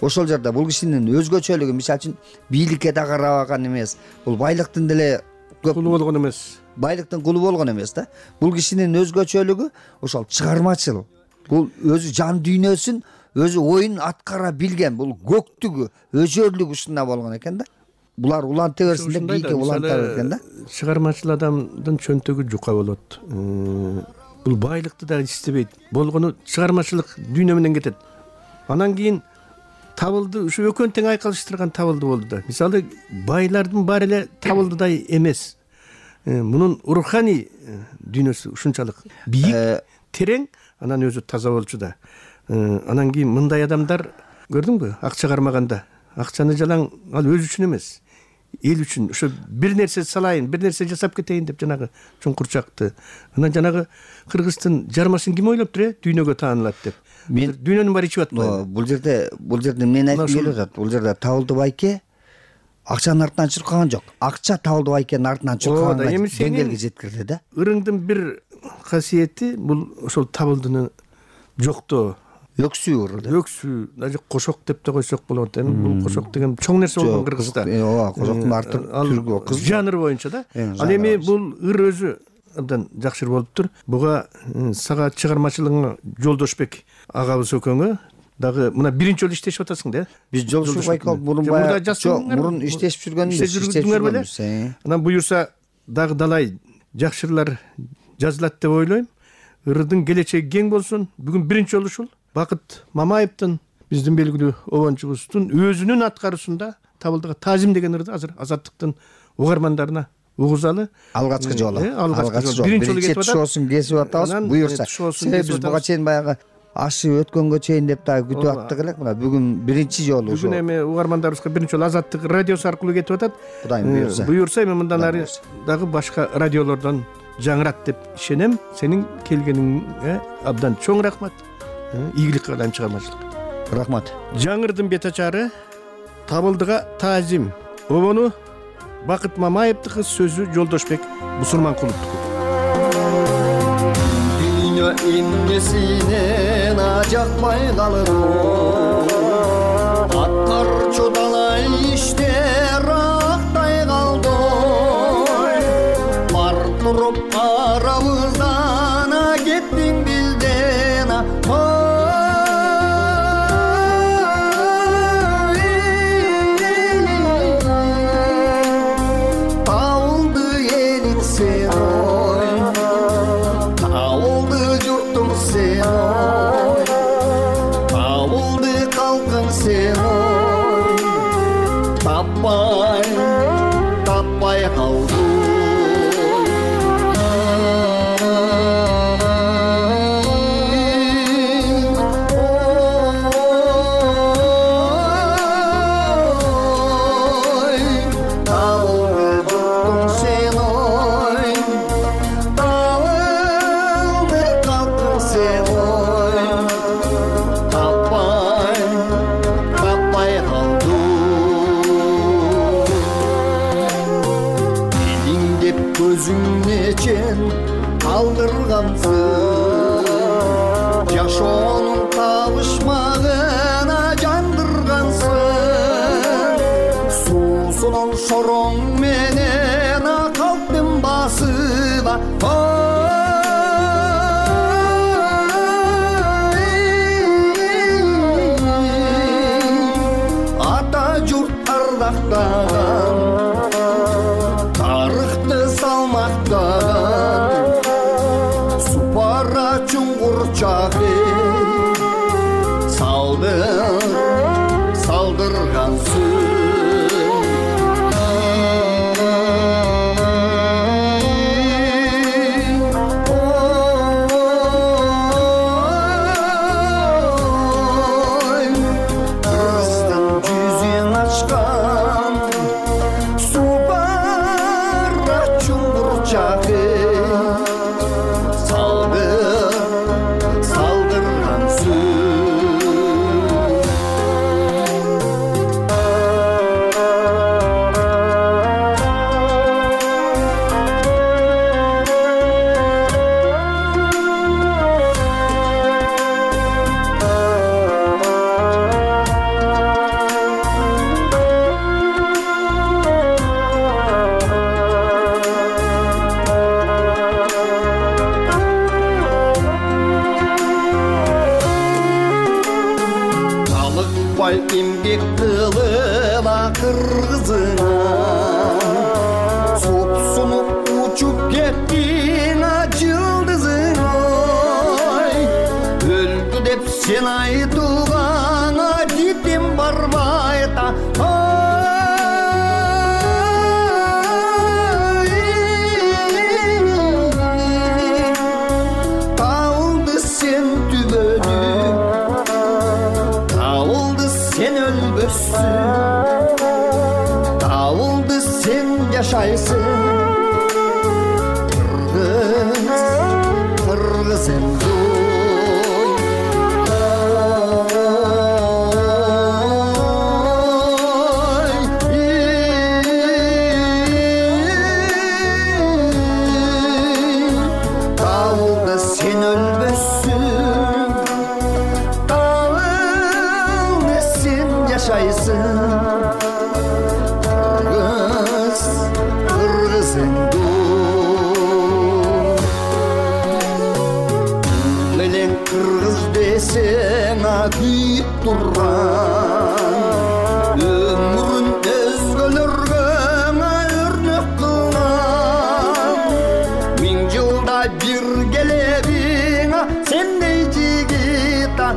Speaker 6: ошол жерде бул кишинин өзгөчөлүгү, мисалы үчүн бийликке да карабаган эмес. Бул байлыктын деле
Speaker 8: кулу болгон эмес.
Speaker 6: Байлыктын кулу болгон эмес да. Бул кишинин өзгөчөлүгү ошол чыгармачыл. Бул өзү жан дүйнөсүн, өзү оюн аткара билген, бул көктүгү, өжөрлүгү ушунда болгон экен да. Булар уланта берсин деп бийикке уланта берген да.
Speaker 8: Чыгармачыл адамдын чөнтөгү жука болот. Бул байлыкты да истебейт. Болгону чыгармачылык дүйнө менен кетет. Анан кийин Табылды ушу экөөнү тең айкалыштырган Табылды болду да. Мисалы, байлардын баары эле Табылдыдай эмес. Мунун руханий дүйнөсү ушунчалык бийик, терең, анан өзү таза болчу да. Анан кийин мындай адамдар көрдүңбү? Акча кармаганда, акчаны жалаң ал өзү үчүн эмес, эл үчүн, ошо бир нерсе салайын, бир нерсе жасап кетейин деп жанагы чуңкурчакты. Анан жанагы кыргыздын жармасын ким ойлоп тур, э? Дүйнөгө таанылат деп. Мен дүйнөнүн баары ичип атпайбы?
Speaker 6: Бул жерде, бул жерде мен айтып келип атат. Бул жерде Табылды байке акчанын артынан чуркаган жок. Акча Табылды байкенин артынан чуркаган деңгээлге жеткирди да.
Speaker 8: Ырыңдын бир касиети бул ошол Табылдыны жоктоо.
Speaker 6: Өксүү ырды.
Speaker 8: Өксүү, даже кошок деп да койсок болот. Эми бул кошок деген чоң нерсе болгон Кыргызда.
Speaker 6: Ооба, кошоктун арты түргү кыз.
Speaker 8: Жанр боюнча да. Ал эми бул ыр өзү абдан жакшы болуптур. Буга сага чыгармачылыгыңа Жолдошбек агабыз экөөңө дагы мына биринчи жолу иштешип атасың да.
Speaker 6: Биз Жолдошбек байке мурун баягы мурун иштешип жүргөнбүз,
Speaker 8: иштешип беле. Анан буюрса дагы далай жакшы ырлар жазылат деп ойлойм. Ырдын келечеги кең болсун. Бүгүн биринчи жолу ушул Бакыт Мамаевдин биздин белгилүү обончубуздун өзүнүн аткаруусунда Табылдыга таазим деген ырды азыр азаттыктын угармандарына угузалы
Speaker 6: алгачкы жолу
Speaker 8: алгачкы жолу биринчи жолу кетип атат.
Speaker 6: шоусун кесип атабыз буюрса. Себеби биз буга чейин баягы ашы өткөнгө чейин деп дагы күтүп аттык элек. Мына бүгүн биринчи жолу ошо.
Speaker 8: Бүгүн эми угармандарыбызга биринчи жолу Азаттык радиосу аркылуу кетип атат.
Speaker 6: Кудайым буюрса.
Speaker 8: Буюрса эми мындан ары дагы башка радиолордон жаңырат деп ишенем. Сенин келгениңе абдан чоң рахмат. Ийгилик каалайм, чыгармачылык.
Speaker 6: Рахмат.
Speaker 8: Жаңырдын бет ачары Табылдыга таазим. Обону Бакыт Мамаевдики, сөзү Жолдошбек Бусурманкуловдуку.
Speaker 2: Дүйнө эмнесинен ажакпай калыр, аткарчудалай иштер актай калды. Бар туруп карабыздан кеттиң билден. Tapay, tapay kaldı. Kaldırgansın, yaşonun kavuşmağına jandırgansın. Susunun şorun menen kalktım basıva. Ata jurt ardaktan, tarıhtı salmaktan. Supara çungur çağı saldır, saldırgansın. Kırgızstan yüzün açkan, supara çungur çağı Emgek kılıva kırgızına, supsunup uçup kettin açıldızına. Öldü dep sen aytugana gittim barbayta. Kaldı sen tübödü, sen ölmüşsün, dağıldı sen yaşaysın. Kırgız, kırgız emdu. Dağıldı sen ölmüşsün, yaşaysın. Kırgız, kırgız endu. Melen kırgız desen akıyıp durran, ömrün özgölörgö örnek kılan. Min yılda bir gelebin sendey jigita.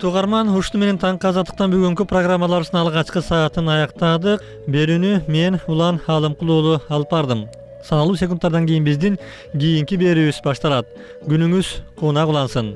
Speaker 1: урматтуу угарман, ушуну менен таңкы азаттыктан бүгүнкү программаларыбыздын алгачкы саатын аяктадык. Берүүнү мен Улан Алымкул уулу алып бардым. Саналуу секундтардан кийин биздин кийинки берүүбүз башталат. Күнүңүз куунак улансын.